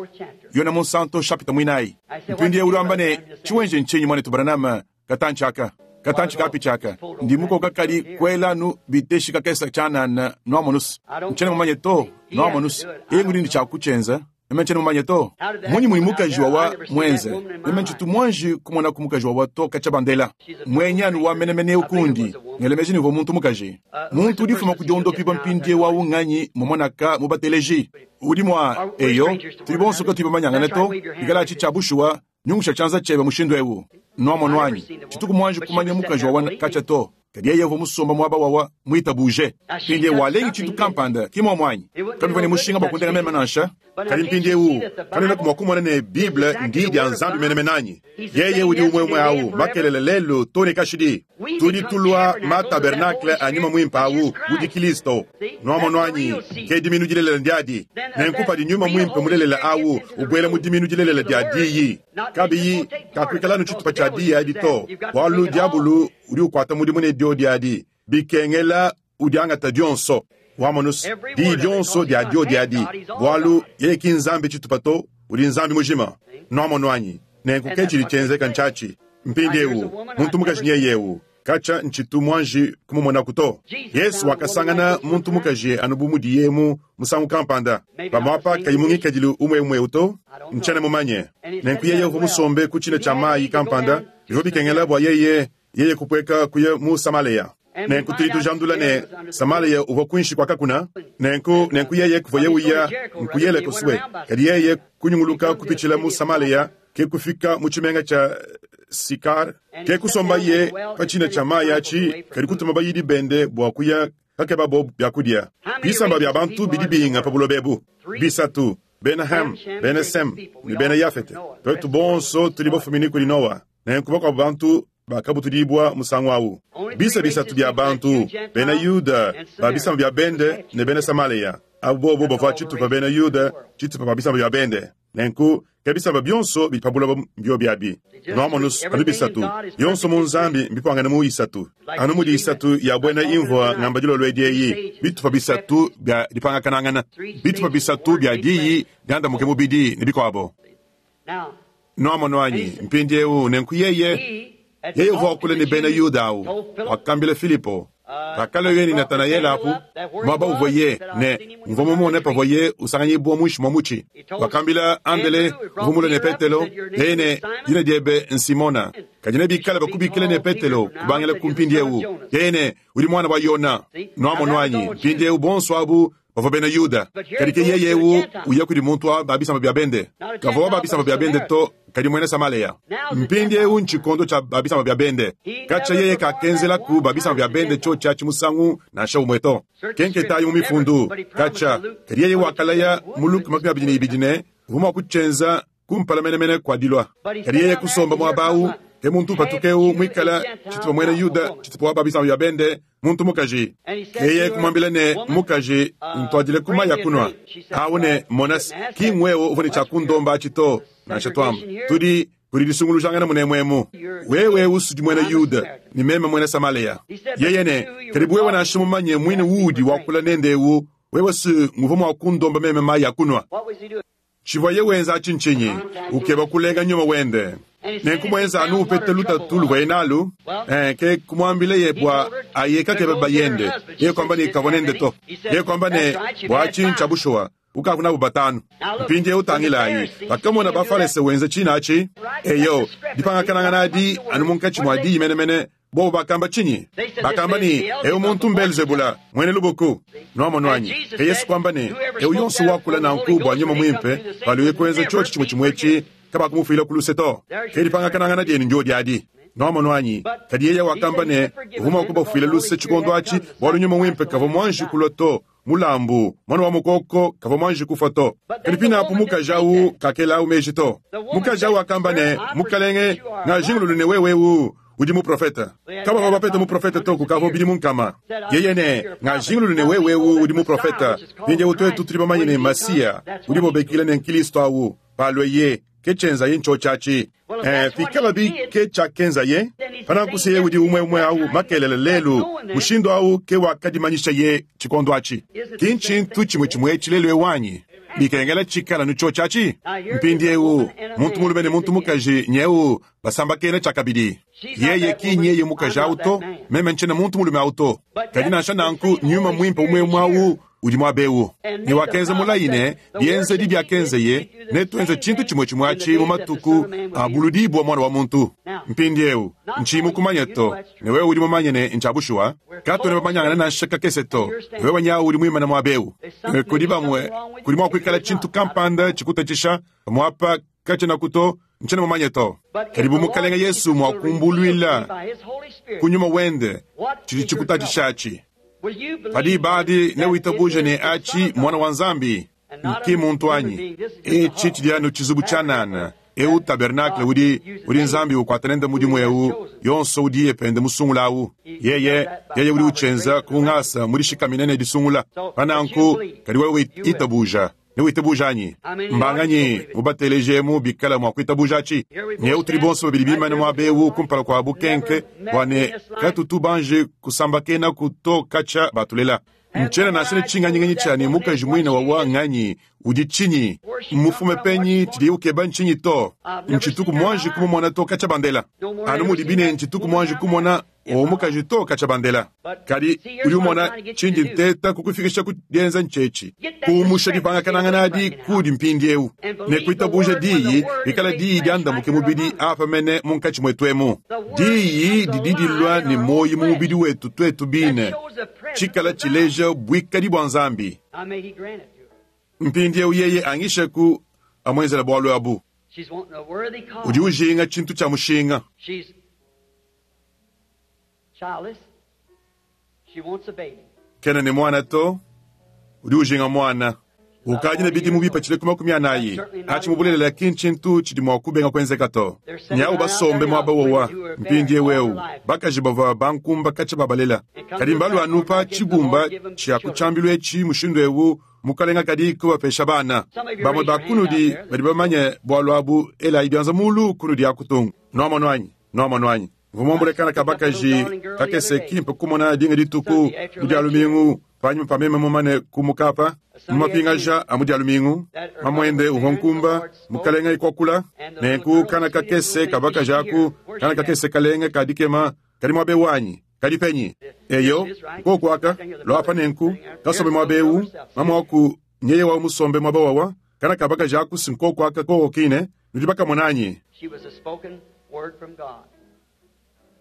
yona Monsanto chapter mwinayi mpindi ulamba ne chiwenje nchinyi mwane tubaranama katanchaka katanchi kapi chaka ndi muko kakali kwelanu biteshi kakesa chanana noamonus nchene mumanye to noamonus yengu ndi chakuchenza meme nchene mumanye to munyi muli mukaji wawa mwenze meme nchitu mwanji kumona kumukaji wawa to kachabandela mwenyanu wa menemene ukundi ngelemeji nivo muntu mukaji muntu udifuma kudiondo piba mpindi wa unganyi mumonaka mubateleji udi mwa eyo tuli bonso katiba manyangane to ikala chichabushuwa nyungusha chanza chebe mushindu ewu nomo nwanyi chituku mwanji kumanya mukaji wawa kacha to kadi yevo musomba mwaba wawa mwitabuje pindi walengi chitu kampanda kimo mwanyi kabivani mushinga bakundenga mema nansha kali mpindi ewu kanena kumwakumwana ne Bible ndi dia nzambi menemenanyi yeye udi umwe umwe awu makelele lelu toni kashidi tudi tulwa ma tabernacle anyuma mwimpa awu udi Kristo nomo nwanyi ke diminu dilelela ndiadi nenkupa dinyuma mwimpe mulelela awu ubwele mu diminu dilelela dia diyi kabiyi kakuikalanu tshitupa tshia diyi adi to walu diabulu udi ukwata mudimu ne dio diadi bikengela udiangata dionso wamonus di dionso dia dio diadi bwalu yeye ki nzambi tshitupa to udi nzambi mujima nomono anyi nenku ke tshidi tshienzeka ntshatshi mpindi ewu muntu mukaji nyeye ewu kacha ntshitu mwanji kumumona kuto Yesu wakasangana muntu mukaji anu bu mudiye musangu kampanda pamwapa kayimungikadilu umwe umwe uto nchene mumanye nenku yeye uvu musombe ku tshina tshia mayi kampanda bivua bikengela bua yeye yeye kupweka kuya mu Samaleya nenku tudi tujandula ne Samaleya uvua kuinshi kwa kakuna nenku nenku yeye kuva yeuya nkuyele kuswe kadi yeye kunyunguluka kupitshila mu Samaleya ke kufika mu tshimenga tshia Sikar ke kusomba ye pa tshina tshia mayi atshi kadi kutuma bayidi bende bua kuya kakeba bo byakudia bisamba bya bantu bidi binga pa buloba ebu bisatu bena Ham bena Sem ne bena Yafete twetu bonso tudi bafumine kuli Noa nenku bakuabu bantu bakabutudibwa musangu awu bisa bisatu bya bantu bena Yuda ba bisamba bya bende ne bena Samaleya abo bobo bavua tshitupa bena Yuda tshitupa ba bisamba bya bende nenku ke bisamba bionso bidi pa buloba mbio biabi noamonus anu bisatu yonso mu nzambi mbipangane mu isatu anu mudi isatu ya bwena imvua ngamba dilolo edi eyi bitupa bisatu bya dipangakanangana bitupa bisatu bya diyi diandamuke mubidi ne bikuabo Nwamonu anyi? Mpindiewu nenku yeye, yeye uvua wakula ne bena Yuda awu, wakambila Filipo. Pakalua ne Natanaele apu, muaba uvuaye ne mvua mumone pavuaye usanganyibua muinshi mua mutshi. Wakambila Andele, uvua mulue ne Petelo, yeye ne, dina diebe n'Simona, kadi nebikale bakubikile ne Petelo kubangila ku mpindiewu. Yeye ne, udi muana wa Yona. Nwamonu anyi? Mpindiewu bonso abu bavua bena Yuda. Kadi ke yeye ewu uya kudi muntu wa ba bisamba bia bende. Kavua wa ba bisamba bia bende to, kadi muena Samaleya. Mpindiewu ntshikondo tshia ba bisamba bia bende. Katshia yeye kakenzelaku ba bisamba bia bende tshiotshi atshi musangu nansha umue to. Kenketayi mu mifundu, katshia, kadi yeye wakalaya mu Luka makumi abidi ne ibidi ne, uvua mua kutshienza kumpala menemene kua dilua. Kadi yeye kusomba muaba awu, ke muntu upatuka eu muikala tshitupa muena Yuda, tshitupa wa ba bisamba bia bende, muntu mukaji. Yeye kumwambila ne, mukaji, ntuadile ku mayi a kunua. Awu ne, mona, ki ngwewe uvua ne tshia kundomba atshi to, nansha tuamba. Tudi kudi disungulujangana munemuemu. Wewe usudi muena Yuda, ne meme muena Samaleya. Yeye ne, kadi wewe nansha mumanye muine uudi wakula nende ewu, wewe si nguvua mua kundomba meme mayi a kunua. Tshivuaye wenza atshi ntshinyi? Ukeba kulenga nyuma wende. Nenku muenza anu upete lutatu luvuaye nalu, eh, ke kumwambileye bua aye kakebe bayende. Yeye kwamba ne kavua nende to. Yeye kwamba ne, bua atshi ntshia bushuwa, ukavua nabu batanu. Mpindiewu tangilayi, bakamona Bafalese wenza tshina atshi. Eyo, dipangakanangana adi anu munkatshi mua diyi menemene. Bobo bakamba tshinyi? Bakamba ne, eu muntu m'Belzebula, muena lubuku. Nwamonu anyi? Ke Yesu kwamba ne, eu yonso wakula nanku bua nyuma muimpe, paluye kuenza tshiotshi tshimue tshimue etshi, kabakumufuila ku luse to. Ke dipangakanangana dienu ndio adi. Nwamonu anyi? Kadi yeye wakamba ne, uvua mua kubafuila luse tshikondo atshi, bualu nyuma muimpe kavua muanji kulua to. Mulambu, mwana wa mukoko, kavua muanji kufua to. Kadi pinapu mukaji awu kakela meji to. Mukaji awu akamba ne, mukalenge, ngajingululu ne wewe ewu udi muprofeta. Kabavua bapete muprofeta to kukavua bidimu nkama. Yeye ne, ngajingululu ne wewe ewu udi muprofeta. Mpindiewu tuetu tudi bamanye ne Masiya, udi bobekile ne Nkristo awu, palue ye, ke tshienzaye ntshiotshi atshi. Eh, pikalabi ke tshiakenzaye, pananku se udi umue umue awu makelele lelu, mushindu awu ke wakadimanyisha ye tshikondo atshi. Ki ntshintu tshimue tshimue etshi lelu ewu anyi? Bikengela tshikala nutshiotshi atshi. Mpindiewu, muntu mulume ne muntu mukaji nyewu basambakena tshiakabidi. Yeye ki nyeye mukaji awu to, meme ntshiena muntu mulume awu to. Kadi nansha nanku nyuma muimpe umue umue awu udi muaba ewu. Ne wakenza mulayi ne, bienzedi biakenzeye, netuenze tshintu tshimue tshimue atshi mu matuku a buludibua mwana wa muntu. Mpindiewu, ntshiyi kumanya to, ne wewe udi mumanye ne ntshia bushuwa, katuena bamanyangana nansha kakese to, ne wewe nyawu udi muimane muaba ewu. Kudi bamue, kudi mua kuikala tshintu kampanda tshikutatshisha, pamuapa katshiena to, ntshiena mumanye to. Kadi bu mukalenge Yesu mua kumbuluila ku nyuma wende, tshidi tshikutatshisha atshi. Padi badi newitabuje ne atshi mwana wa Nzambi, nki muntu anyi. Etshi tshidi anu tshizubu tshianana, eu tabernacle udi, udi Nzambi ukuata nende mudimu eu, yonso udiye pende musungula awu. Yeye, yeye udi utshienza ku ngasa mudishikamine ne disungula. Pananku, kadi wewe itabuja. Newitabuja anyi? Mbanganyi mubateleje bikala mua kuitabuja atshi. Nyeu tudi bonso babidi bimane muaba ewu kumpala kua bukenke, bua ne katutu banje kusambakena kuto katshia batulela. Ntshiena nansha ne tshinganyinganyi tshia ne mukaji muine wa wanganyi udi tshinyi, mmufume penyi, tshidiye ukeba ntshinyi to. Ntshituku muanji kumumona to katshia bandela. Anu mudibi ne ntshituku muanji kumona o mukaji to katshia bandela. Kadi udi umona tshindi nteta kukufikisha ku dienza ntshetshi. Kuumusha dipangakanangana adi kudi mpindiewu. Ne kuitabuja diyi, bikala diyi diandamuke mubidi apa mene munkatshi mwetu emu. Diyi didi dilua ne moyi mu mubidi wetu tuetu bine. Tshikala tshileja buikadi bua Nzambi. Mpindiewu yeye angisheku amwenzela bualu abu. Udi ujinga tshintu tshia mushinga. Kena ne mwana to, udi ujinga mwana. Ukadi ne bidimu bipatshile ku makumi anayi. Atshi mubulelela ki ntshintu tshidi mua kubenga kuenzeka to. Nyawu basombe muaba wowa, mpindiewu ewu, bakaji bavua bankumba katshia babalela. Kadi mbalu anu pa tshibumba tshia ku tshiambilu etshi mushindu ewu, mukalenga kadi kubapesha bana. Bamue ba kunudi badi bamanye bualu abu, elayi bianza mulu kunudi akutunga. Nwamonu anyi? Nwamonu anyi? Mvua muambule kana ka bakaji kakese kimpe kumona dinga dituku mu dia lumingu. Panyima pa meme mumane kumuka apa, mu mapingaja a mu Dia lumingu, mamuende uvua nkumba, mukalenge kuakula, nenku kana kakese ka bakaji aku, kana kakese kalenge ka dikema, kadi muaba eu anyi? Kadi penyi? Eyo, nkoku aka, luapa nenku, kasombe muaba eu, mamu waku nyeye wa musombe muaba wawa, kana ka bakaji aku si nkoku aka koko kine, nudi bakamona anyi? She was a spoken word from God.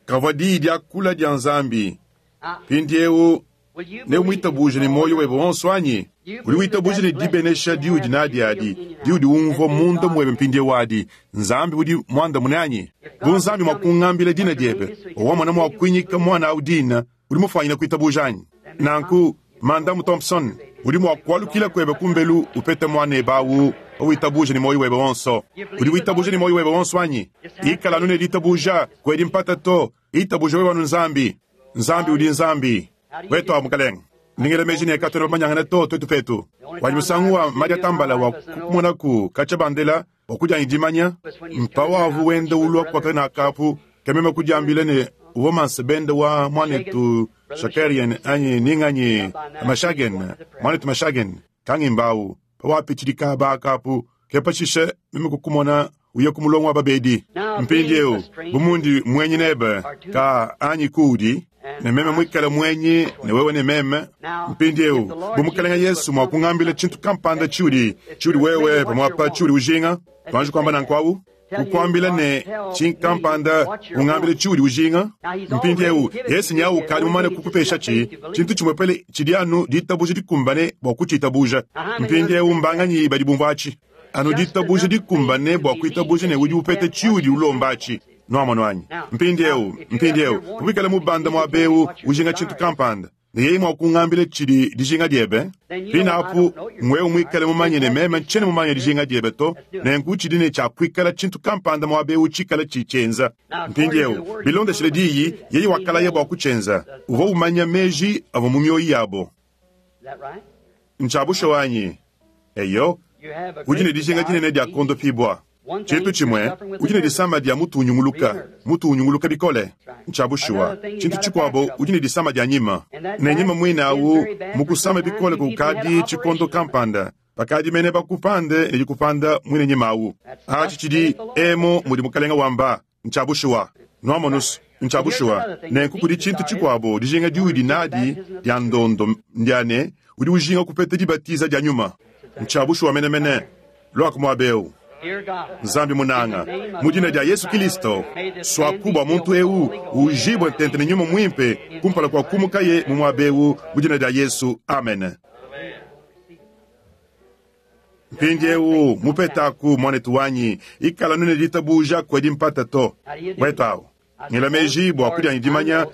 Kavua diyi diakula dia Nzambi. Now, Mpindieu will you neumwitabuje ne muoyo webe wonso anyi? Udi witabuje ne dibenesha diudi nadi adi, diudi umvua munda mwebe mpindieu adi, Nzambi udi muandamune anyi? Bu Nzambi mua kungambila dina diebe, wamona mua kuinyika mwana au dina, udi mufanyine kuitabuja anyi? Nanku, Mandamu Thompson, udi mua kualukila kwebe kumbelu upete mwanebe awu, witabuje ne muoyo webe wonso. Udi witabuje ne muoyo webe wonso anyi? Ikala anu ne ditabuja, kwedi mpata to, itabuja wewe anu Nzambi. Nzambi udi Nzambi. Wetu wa mukalenge. Ningela meji ne katona bamanyangana to twetu petu. Wanyi musangu wa Maria Tambala wa kumonaku kacha bandela wa kudyanyi dimanya, mpawavu wenda ulwa kwaka na kapu, kemema kudyambila ne uwa mansebende wa mwanetu Shakarian anyi ninganyi Mashagen, mwanetu Mashagen, kangimbawu, pawapichilika ba kapu, kepashishe meme kukumona uye kumulongo wa babedi. Mpindieu, bumundi mwenyi nebe, ka anyi kuudi, ne meme mwikale mwenyi ne wewe ne meme. Mpindieu, bu mukalenge Yesu mua kungambila tshintu kampanda tshiudi, tshiudi wewe pamwapa tshiudi ujinga, tuanji kuamba nanku awu? Kukuambila ne tshintu kampanda ungambile tshiudi ujinga. Mpindieu, Yesu nyawu kali mumane kukupesha tshi, tshintu tshimwepele tshidi anu ditabuja dikumbane bua kutshitabuja. Mpindieu mbanganyi badi bumvua atshi? Anu ditabuja dikumbane bua kuitabuja ne udi upete tshiudi ulomba atshi. Nuamono anyi? Mpindieu, mpindieu, kuikala mubanda muaba eu ujinga tshintu kampanda, ne yeye mua kungambila tshidi dijinga diebe, pinapu ngwewe muikale mumanye ne meme ntshiena mumanye dijinga diebe to, nenku tshidi ne tshia kuikala tshintu kampanda muaba eu tshikala tshitshienza. Mpindieu, bilondeshile diyi, yeye wakalaya bua kutshienza. Uvua umanya meji avua mu mioyo yabo. Is that right? Ntshiabusha wanyi. Eyo, You have a udi ne great dijinga desire dinene dia to be kondopibwa. Tshintu tshimwe, udi ne disama dia mutu unyunguluka, mutu unyunguluka bikole. Ntshiabushuwa. Tshintu tshikuabo, udi ne disama dia nyima. Ne nyima mwine awu, mukusama bikole kukadi tshikondo kampanda. Bakadi mene bakupande ne dikupanda mwine nyima awu. Atshi tshidi emo mudi mukalenga wamba, ntshiabushuwa. Nuamonus, ntshiabushuwa. Nenku kudi tshintu tshikuabo, dijinga diudi nadi dia ndondo ndiane, udi ujinga kupeta dibatiza dia nyuma. Ntshiabushuwa menemene. Lwako muaba eu. Dear God, Nzambi munanga, mu dina dia Yesu Kristo, swaku bua muntu eu ujibwe ntente ne nyuma mwimpe kumpala kwa kumukaye mu muaba eu mu dina dia Yesu, amen. Mpindieu mupetaku mwanetu wanyi, ikala nune ditabuja kwedi mpata to. Wetu awu, ngela meji bua kudyanyi dimanya,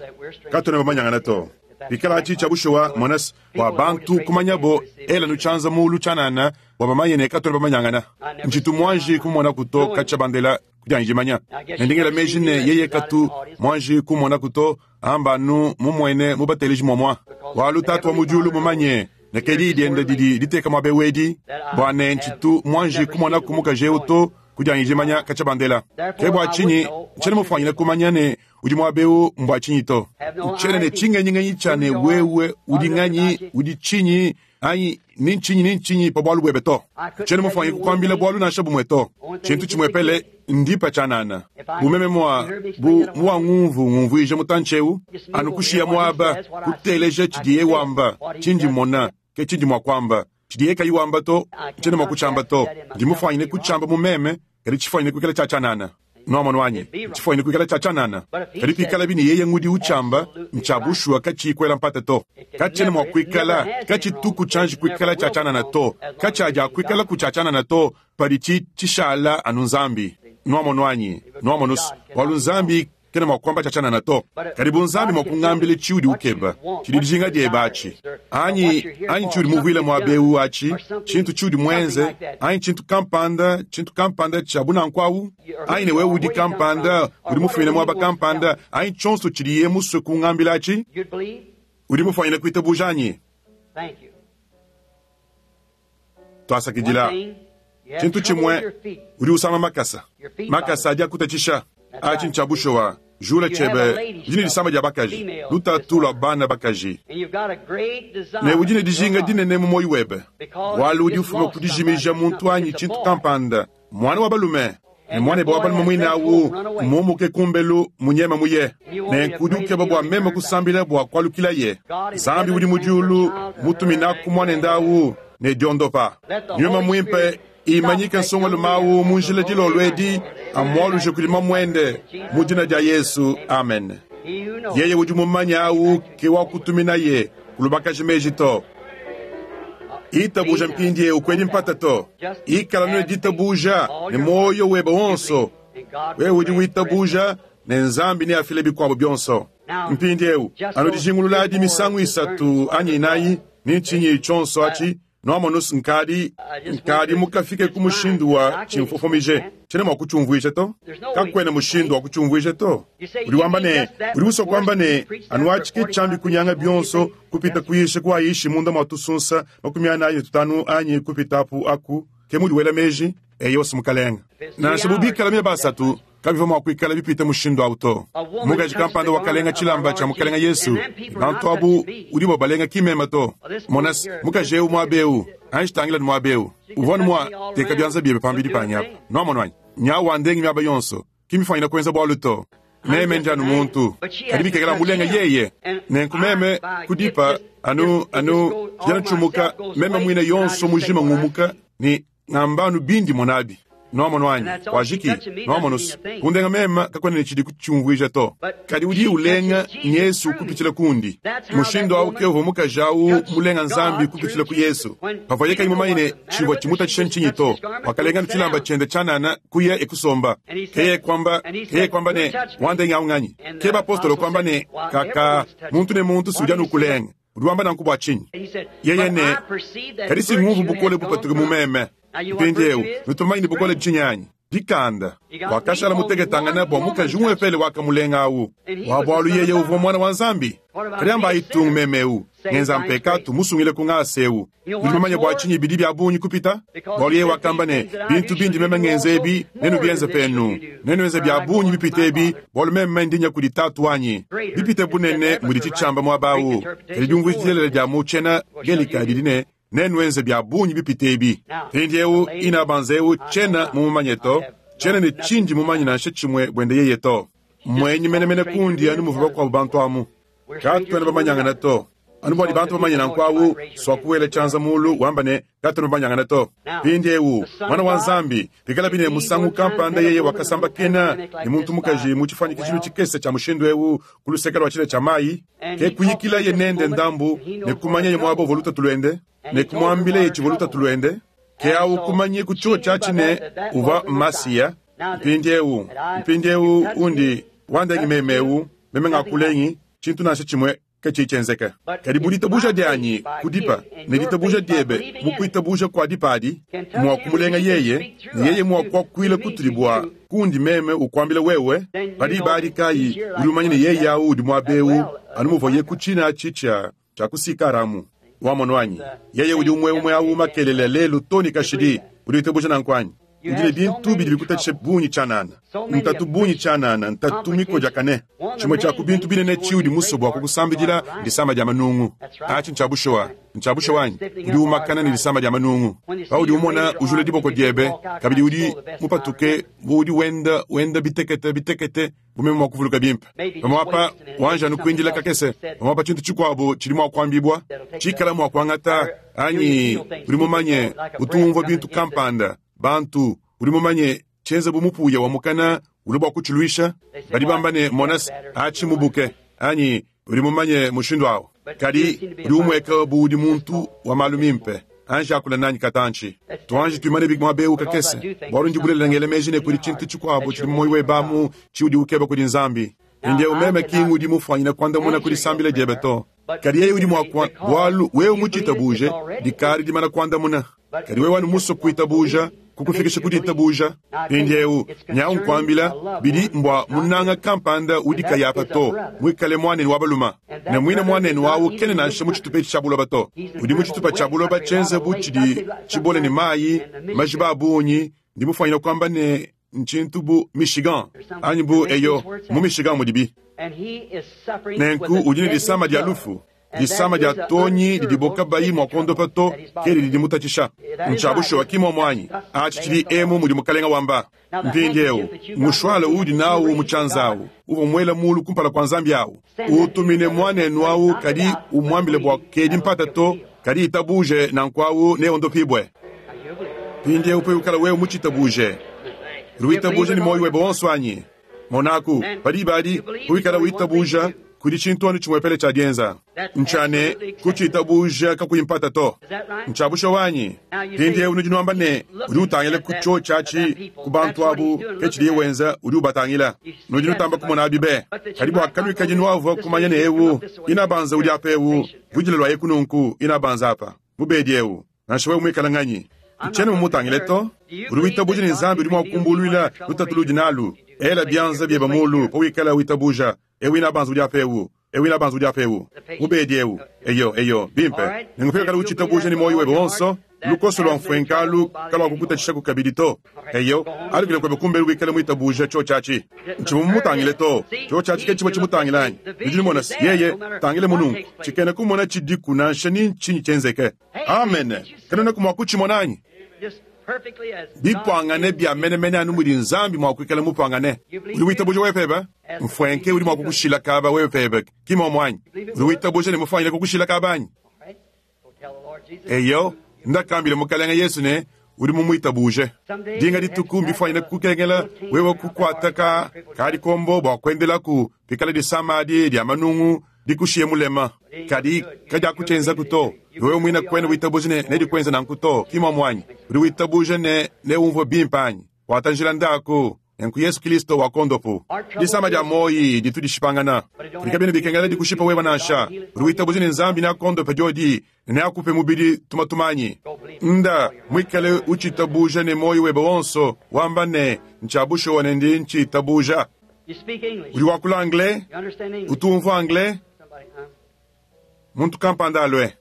katona bamanyangana to. Bikala atshi tshia bushuwa mwanas bua bantu kumanyabo ela nutshianza mulu tshianana bua bamanye ne katona bamanyangana. Ntshitu mwanji kumona kuto katshia bandela kudyanyi dimanya. Nendingela meji ne yeye katu mwanji kumona kuto amba anu mumwene mubateleji mwamwa. Walu tatu wa mudiulu mumanye ne kedi dienda didi diteka muaba wedi bua ne ntshitu mwanji kumona kumukaji eu to kudyanyi dimanya katshia bandela. Ke bua tshinyi ntshiena mufwanyine kumanya ne udi muaba eu mbua tshinyi to. Ntshiena ne tshingenyingenyi tshia ne wewe udi nganyi, udi tshinyi, anyi ni ntshinyi ni ntshinyi pa bualu buebe to. Ntshiena mufwanyine kukuambila bualu nansha bumwe to. Tshintu tshimwepele ndipa tshianana. Bumeme mua bu mua ngumvu ngumvuija mutantshi eu, anu kushiya muaba kuteleja tshidiye wamba, tshindi mona, ke tshindi mua kuamba. Tshidiye kayi wamba to, ntshiena mua kutshiamba to. Ndi mufwanyine kutshiamba mu meme, kadi tshifwanyine kuikala tshia tshianana. Nuamono wanyi, tshifwanyine kuikala tshia tshianana. Kadi pikala bini yeye ngudi utshiamba, ntshiabushuwa katshiyi kuela mpata to. Katshiena mua kuikala, katshituku tshianji kuikala tshia tshianana to. Katshiadia kuikala ku tshia tshianana to, padi tshi tshishala anu Nzambi. Nuamono wanyi, nuamono walu Nzambi kena mua kuamba tshia tshianana to. Kadi bu Nzambi mua kungambila tshiudi ukeba, tshidi dijinga diebe atshi. Anyi, anyi tshiudi muvuile muaba eu atshi, tshintu tshiudi muenze, anyi tshintu kampanda, tshintu kampanda tshia bunanku awu, anyi ne wewe udi kampanda, udi mufumine muaba kampanda, anyi tshionso tshidiye musue kungambila atshi, you'd believe? udi mufwanyine kuitabuja anyi? Thank you. Twasakidila. One thing, you have Tshintu trouble with tshimwe your feet. udi usama makasa. Makasa adi akutatshisha. Atshi ntshiabushuwa. Jula tshiebe, udi ne disama dia bakaji, lutatu lua bana bakaji, ne udi ne dijinga dinene mu muoyo webe, bualu udi ufuma ku dijimija muntu anyi tshintu kampanda, mwana wa balume. Ne mwanebe wa balume muine awu mumuke kumbelu munyema muye, nenku udi ukeba bua meme kusambila bua kualukilaye. Nzambi udi mu diulu mutuminaku mwanende awu ne diondopa. Nyuma muimpe imanyike nsongalume awu mu njila dilolo edi, amualuje kudi mamuende mu dina dia Yesu, amen. Yeye udi mumanye awu ke wakutuminaye kulubakaji meji to. Itabuja mpindieu kwedi mpata to. Ikala ne ditabuja ne moyo webe wonso. Wewe udi witabuja ne Nzambi neafile bikuabo bionso. Mpindieu anu dijingululadi misangu isatu anyi inayi ni ntshinyi tshionso atshi noamonus nkadi nkadi mukafike ku mushindu wa tshimfofomije tshene mua kutshiumvuija to. Kakuena mushindu wa kutshiumvuija to. Udi wamba ne udi usua kuamba ne anu atshi ke tshiambi kunyanga bionso kupita kuyisha kuayishi munda mua tusunsa makumi anayi ne tutanu anyi kupita apu aku ke mudi wela meji eyosi mukalenga. Nansha bubikala mia basatu kabivua mua kuikala bipita mushindu awu to. Mukaji kampanda wakalenga tshilamba tshia mukalenga Yesu, bantu abu udi babalenga kimema to. Monas mukaji eu muaba eu anji tangila ni muaba eu uvua ni mua teka bianza biebe pambidi panyi apa nuamono anyi nyawu wandengi miaba yonso kimifanyina kuenza bualu to. Meme ndi anu muntu kadi bikekela mulenga yeye nenku meme kudipa anu anu tshijana tshumuka meme muine yonso mujima ngumuka ni ngamba anu bindi monabi. Nuamono anyi wajiki nuamono kundenga mema kakwena ne tshidi kutshiumvuija to. Kadi udi ulenga Yesu kupitshila kundi. Mushindu awu ke uvua mukaji awu mulenga Nzambi kupitshila ku Yesu. Pavua kayi mumanye ne tshivua tshimutatshisha ntshinyi to, wakalenga ne tshilamba tshiende tshianana kuya ekusomba. Keye kwamba keye kwamba ne wandenga awu nganyi. Ke bapostolo kwamba ne kaka muntu ne muntu si udi anu kulenga. Udi wamba nanku bua tshinyi? Yeye ne kadi si nguvu bukole bupatuke mu meme. Mpindieu nutumanye ne bukole tshinyi dikanda wakashala muteketangana bua mukaji umwepele wakamulenga awu wa bualu yeye uvua mwana wa Nzambi. Kadi amba itungu memeu ngenza mpekatu musungile ku ngasa eu. Udi mumanye bua tshinyi bidi bia bungi kupita bualu yeye wakamba ne bintu bindi meme ngenza ebi nenu bienze penu nenuenze bia bungi bipite ebi bualu meme ndinya kudi tatu wanyi bipite bunene mudi tshitshiamba muaba awu. Kadi diumvuija dilelela dia mu tshiena Gelika didi ne nenuenze bia bungi bipite ebi. Mpindieu ina banze eu tshiena mumumanye to, tshiena ne tshindi mumanye nansha tshimue buende yeye to. Mwenyi menemene kundi anu muvua bakuabu bantu amu. Katuena bamanyangana to. Anu bua bantu bamanye nanku awu swakuwela tshianza mulu wamba ne katuena bamanyangana to. Mpindieu mwana wa Nzambi bikala bine musangu kampanda yeye wakasamba kena ne muntu mukaji mu tshifuanyikishilu tshikese tshia mushindu eu ku luseke lua tshile tshia mayi ke kuyikila ye nende ndambu ne kumanya ye muaba uvua lutatu luende ne kumwambila ye tshivua lutatu luende ke awu kumanye ku tshiwo tshiatshi ne uvua Masiya. Mpindieu mpindieu undi wandengi memeu meme ngakulengi tshintu nansha tshimue ke tshitshienzeka. Kadi bu ditabuja dianyi kudipa ne ditabuja diebe mu kuitabuja kua dipa adi mua kumulenga yeye ne yeye mua kuakuila kutudi bua kundi meme ukuambila wewe padi ibadi kayi udi umanye ne yeye awu udi muaba eu anu muvuaye ku tshina atshi tshia tshia kusikaramu. Wamono anyi yeye udi umwe umwe awu makelele lelu to ne kashidi. Udi witabuja nanku anyi? Udi ne bintu bidi bikutatshisha bungi tshianana, ntatu bungi tshianana, ntatu mikodiakane. Tshimue tshia ku bintu binene tshiudi musue bua kukusambidila ndisama dia manungu. Atshi ntshia bushuwa, ntshia bushuwa anyi? Udi umakana ne disama dia manungu. Paudi umona ujula diboko diebe, kabidi udi mupatuke bu udi wenda wenda bitekete bitekete bu meme mua kuvuluka bimpe. Pamuapa wanja anu kuindila kakese, pamuapa tshintu tshikuabu tshidi mua kuambibua tshikala mua kuangata anyi udi mumanye utumvua bintu kampanda bantu udi mumanye tshienza bu mupuya wa mukana uli bua kutshiluisha. Badi bamba ne monas atshi mubuke anyi udi mumanye mushindu awu. Kadi udi umueka bu udi muntu wa malu mimpe anji akula nanyi katantshi tuanji tuimane muaba eu kakese bualu ndi bulelela ngela meji ne kudi tshintu tshikuabu tshidi mu muoyo webe amu tshiudi ukeba kudi Nzambi. Mpindieu meme kingi udi mufuanyina kuandamuna kudi sambila diebe to. Kadi yeye udi mua bualu wewe mutshitabuje dikari dimana kuandamuna. Kadi wewe anu musue kuitabuja kukufikisha ku ditabuja. Mpindieu nyawu nkuambila bidi mbua munanga kampanda udi kayapa to muikale mwanenu wa baluma ne muine mwanenu awu kene nansha mu tshitupa etshi tshia buloba to. Udi mu tshitupa tshia buloba tshienze bu tshidi tshibole ne mayi majiba a bungi. Ndi mufuanyina kuamba ne ntshintu bu Michigan anyi bu eyo mu Michigan mudibi. Nenku udi ne disama dia lufu, disama dia tonyi didibo kabayi mua kuondopa to, ke didi dimutatshisha. Ntshia bushuwa ki muomu anyi? Atshi tshidi emu mudi Mukalenga wamba. Mpindieu, mushwala uudi nawu mu tshianza awu, uvua muela mulu kumpala kua Nzambi awu. Utumine muanenu awu, kadi umuambile bua kedi mpata to, kadi itabuje nanku awu neondopibue. Mpindieu pawikala wewe mutshitabuje, udi witabuje ne muoyo webe wonso anyi? Monaku, pa diba adi, pawikala witabuja, kudi tshintu anu tshimuepele tshia dienza, ntshia ne kutshitabuja kakuyi mpata to. Ntshia bushuwa anyi? Mpindieu nudi nuamba ne, udi utangila ku tshiotshi atshi ku bantu abu, ke tshidiye wenza, udi ubatangila. Nudi nutamba kumona abi be. Kadi bua kanuikadi nuavua kumanya ne ewu, inabanza udi apa ewu, vudila lua eku nunku, inabanza apa, mubedi ewu, nansha wewe muikala nganyi. Ntshiena mumutangile to. Udi witabuja ne Nzambi udi mua kukumbuluila lutatu ludi nalu. Ela bianza biebe mulu pawikala witabuja. Ewu inabanza udi apa ewu, ewu inabanza udi apa ewu, mubedi ewu, eyo eyo, bimpe. Nenku pawikala utshitabuja ne muoyo webe wonso, lukoso lua mfuenkalu kaluakukutatshishaku kabidi to. Eyo, alukile kuebe kumbelu wikale muitabuja tshiotshi atshi. Ntshivua mumutangile to. Tshiotshi atshi ke tshivua tshimutangila anyi? Nudi numona se, yeye tangile mununku, tshikena kumona tshidiku nansha ni ntshinyi tshienzeke. Amen. Kanuenaku mua kutshimona anyi? Bipuangane bia menemene anu mudi Nzambi mua kuikala mupuangane. Udi witabuja wewe pebe? Mfuenke udi mua kukushila kaba wewe pebe, ki muomu anyi? Udi witabuja ne mufuanyile kukushila kaba anyi? Eyo, ndakambile Mukalenga Yesu ne, udi mumuitabuje. Dinga dituku mbifuanyine kukengela wewe kukuata ka kadikombo bua kuendelaku pikala disama adi dia manungu dikushiye mulema. Kadi kadiakutshienzaku to. Wewe muina kuena witabuja ne nedikuenza nanku to, ki muomu anyi? Udi witabuja ne neumvue bimpe anyi? Kuata njila ndaku, nenku Yesu Kristo wakondopu. Disama dia moyi ditu dishipangana. Kadi kabiena bikengela dikushipa wewe nansha. Udi witabuja ne Nzambi neakondope diodi, ne neakupe mubidi tumatumanyi. Nda muikale utshitabuja ne moyo webe wonso, wamba ne ntshia bushuwa ne ndi ntshitabuja. Udi wakula anglais? Utu umvua anglais? Muntu kampanda alue.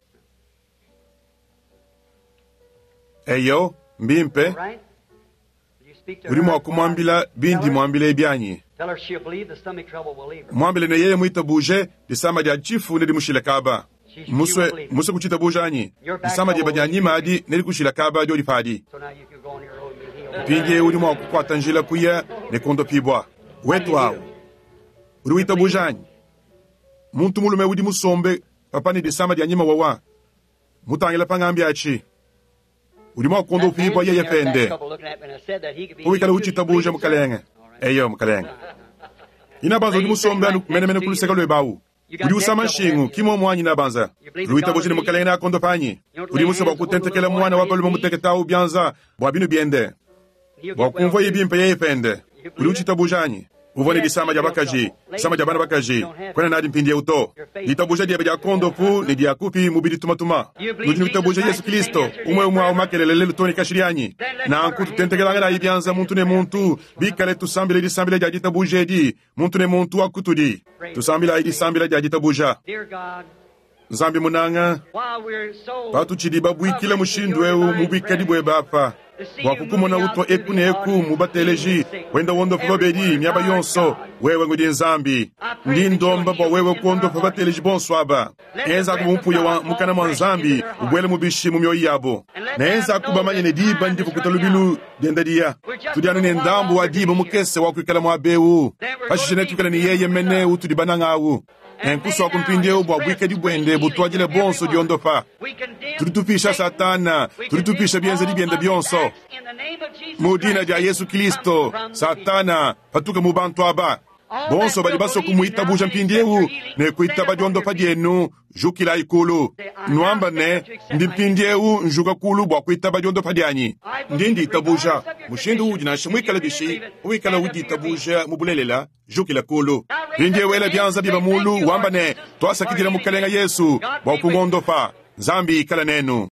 Eyo, mbimpe. Udi mua kumuambila bindi muambile bianyi. Muambile ne yeye muitabuje disama dia tshifu nedimushile kaba. Musue musue kutshitabuja anyi? Disama diebe dia nyima adi nedikushila kaba diodi padi. Mpindieu udi mua kukuata njila kuya ne kuondopibua. Wetu awu. Udi witabuja anyi? Muntu mulume udi musombe papa ne disama dia nyima wawa. Mutangila pangambi atshi. Udi mua kuondopibua yeye pende. Uwikala utshitabuja mukalenge. Eyo mukalenge. Inabanza udi musombe anu menemene ku luseke luebe awu. Udi usama nshingu ki muomu anyi inabanza. Udi witabuja ne mukalenge neakondopa anyi? Udi musue bua kutentekela muana wa balume mutekete awu bianza bua binu biende. Bua kumvuaye bimpe yeye pende. Udi utshitabuja anyi? Uvua ne disama dia bakaji, disama dia bana bakaji, kuena nadi mpindieu to. Ditabuja diebe dia kondopu ne dia kupi mubidi tumatuma. Nudi nuitabuja Yesu Kristo, umwe umwe awu makelele lelu to ne kashidi anyi? Nanku tutentekelanganayi bianza muntu ne muntu, bikale tusambile disambila dia ditabuja edi, muntu ne muntu wa kutudi. Tusambilayi disambila dia ditabuja. Nzambi munanga, patutshidi babuikile mushindu eu mu buikadi buebe apa, bua kukumona utua eku ne eku mu bateleji, wenda wondopa babedi miaba yonso, wewe ngudi Nzambi. Ndi ndomba bua wewe kuondopa bateleji bonso aba. Enza ku mumpuya wa mukana mwa Nzambi, ubuele mubishi mu mioyo yabo. Ne enza ku bamanye ne diba ndivukuta lubilu dienda diya. Tudi anu ne ndambu wa diba mukese wa kuikala muaba eu. Pashishe netuikale ne yeye mene utudi bananga awu. Nenkusua kumpindieu bua buikadi buende butuadile bonso diondopa. Tudi tupisha Satana, tudi tupisha bienzedi biende bionso. Mu dina dia Yesu Kristo, Satana patuka mu bantu aba. Bonso badi basue kumuitabuja mpindieu ne kuitaba diondopa dienu, jukilayi kulu. Nuamba ne, ndi mpindieu njuka kulu bua kuitaba diondopa dianyi. Ndi nditabuja mushindu udi nansha muikale bishi, wikala uditabuja mu bulelela, jukila kulu. Mpindieu ela bianza biebe mulu, wamba ne, twasakidila Mukalenga Yesu bua kungondopa. Nzambi ikala nenu.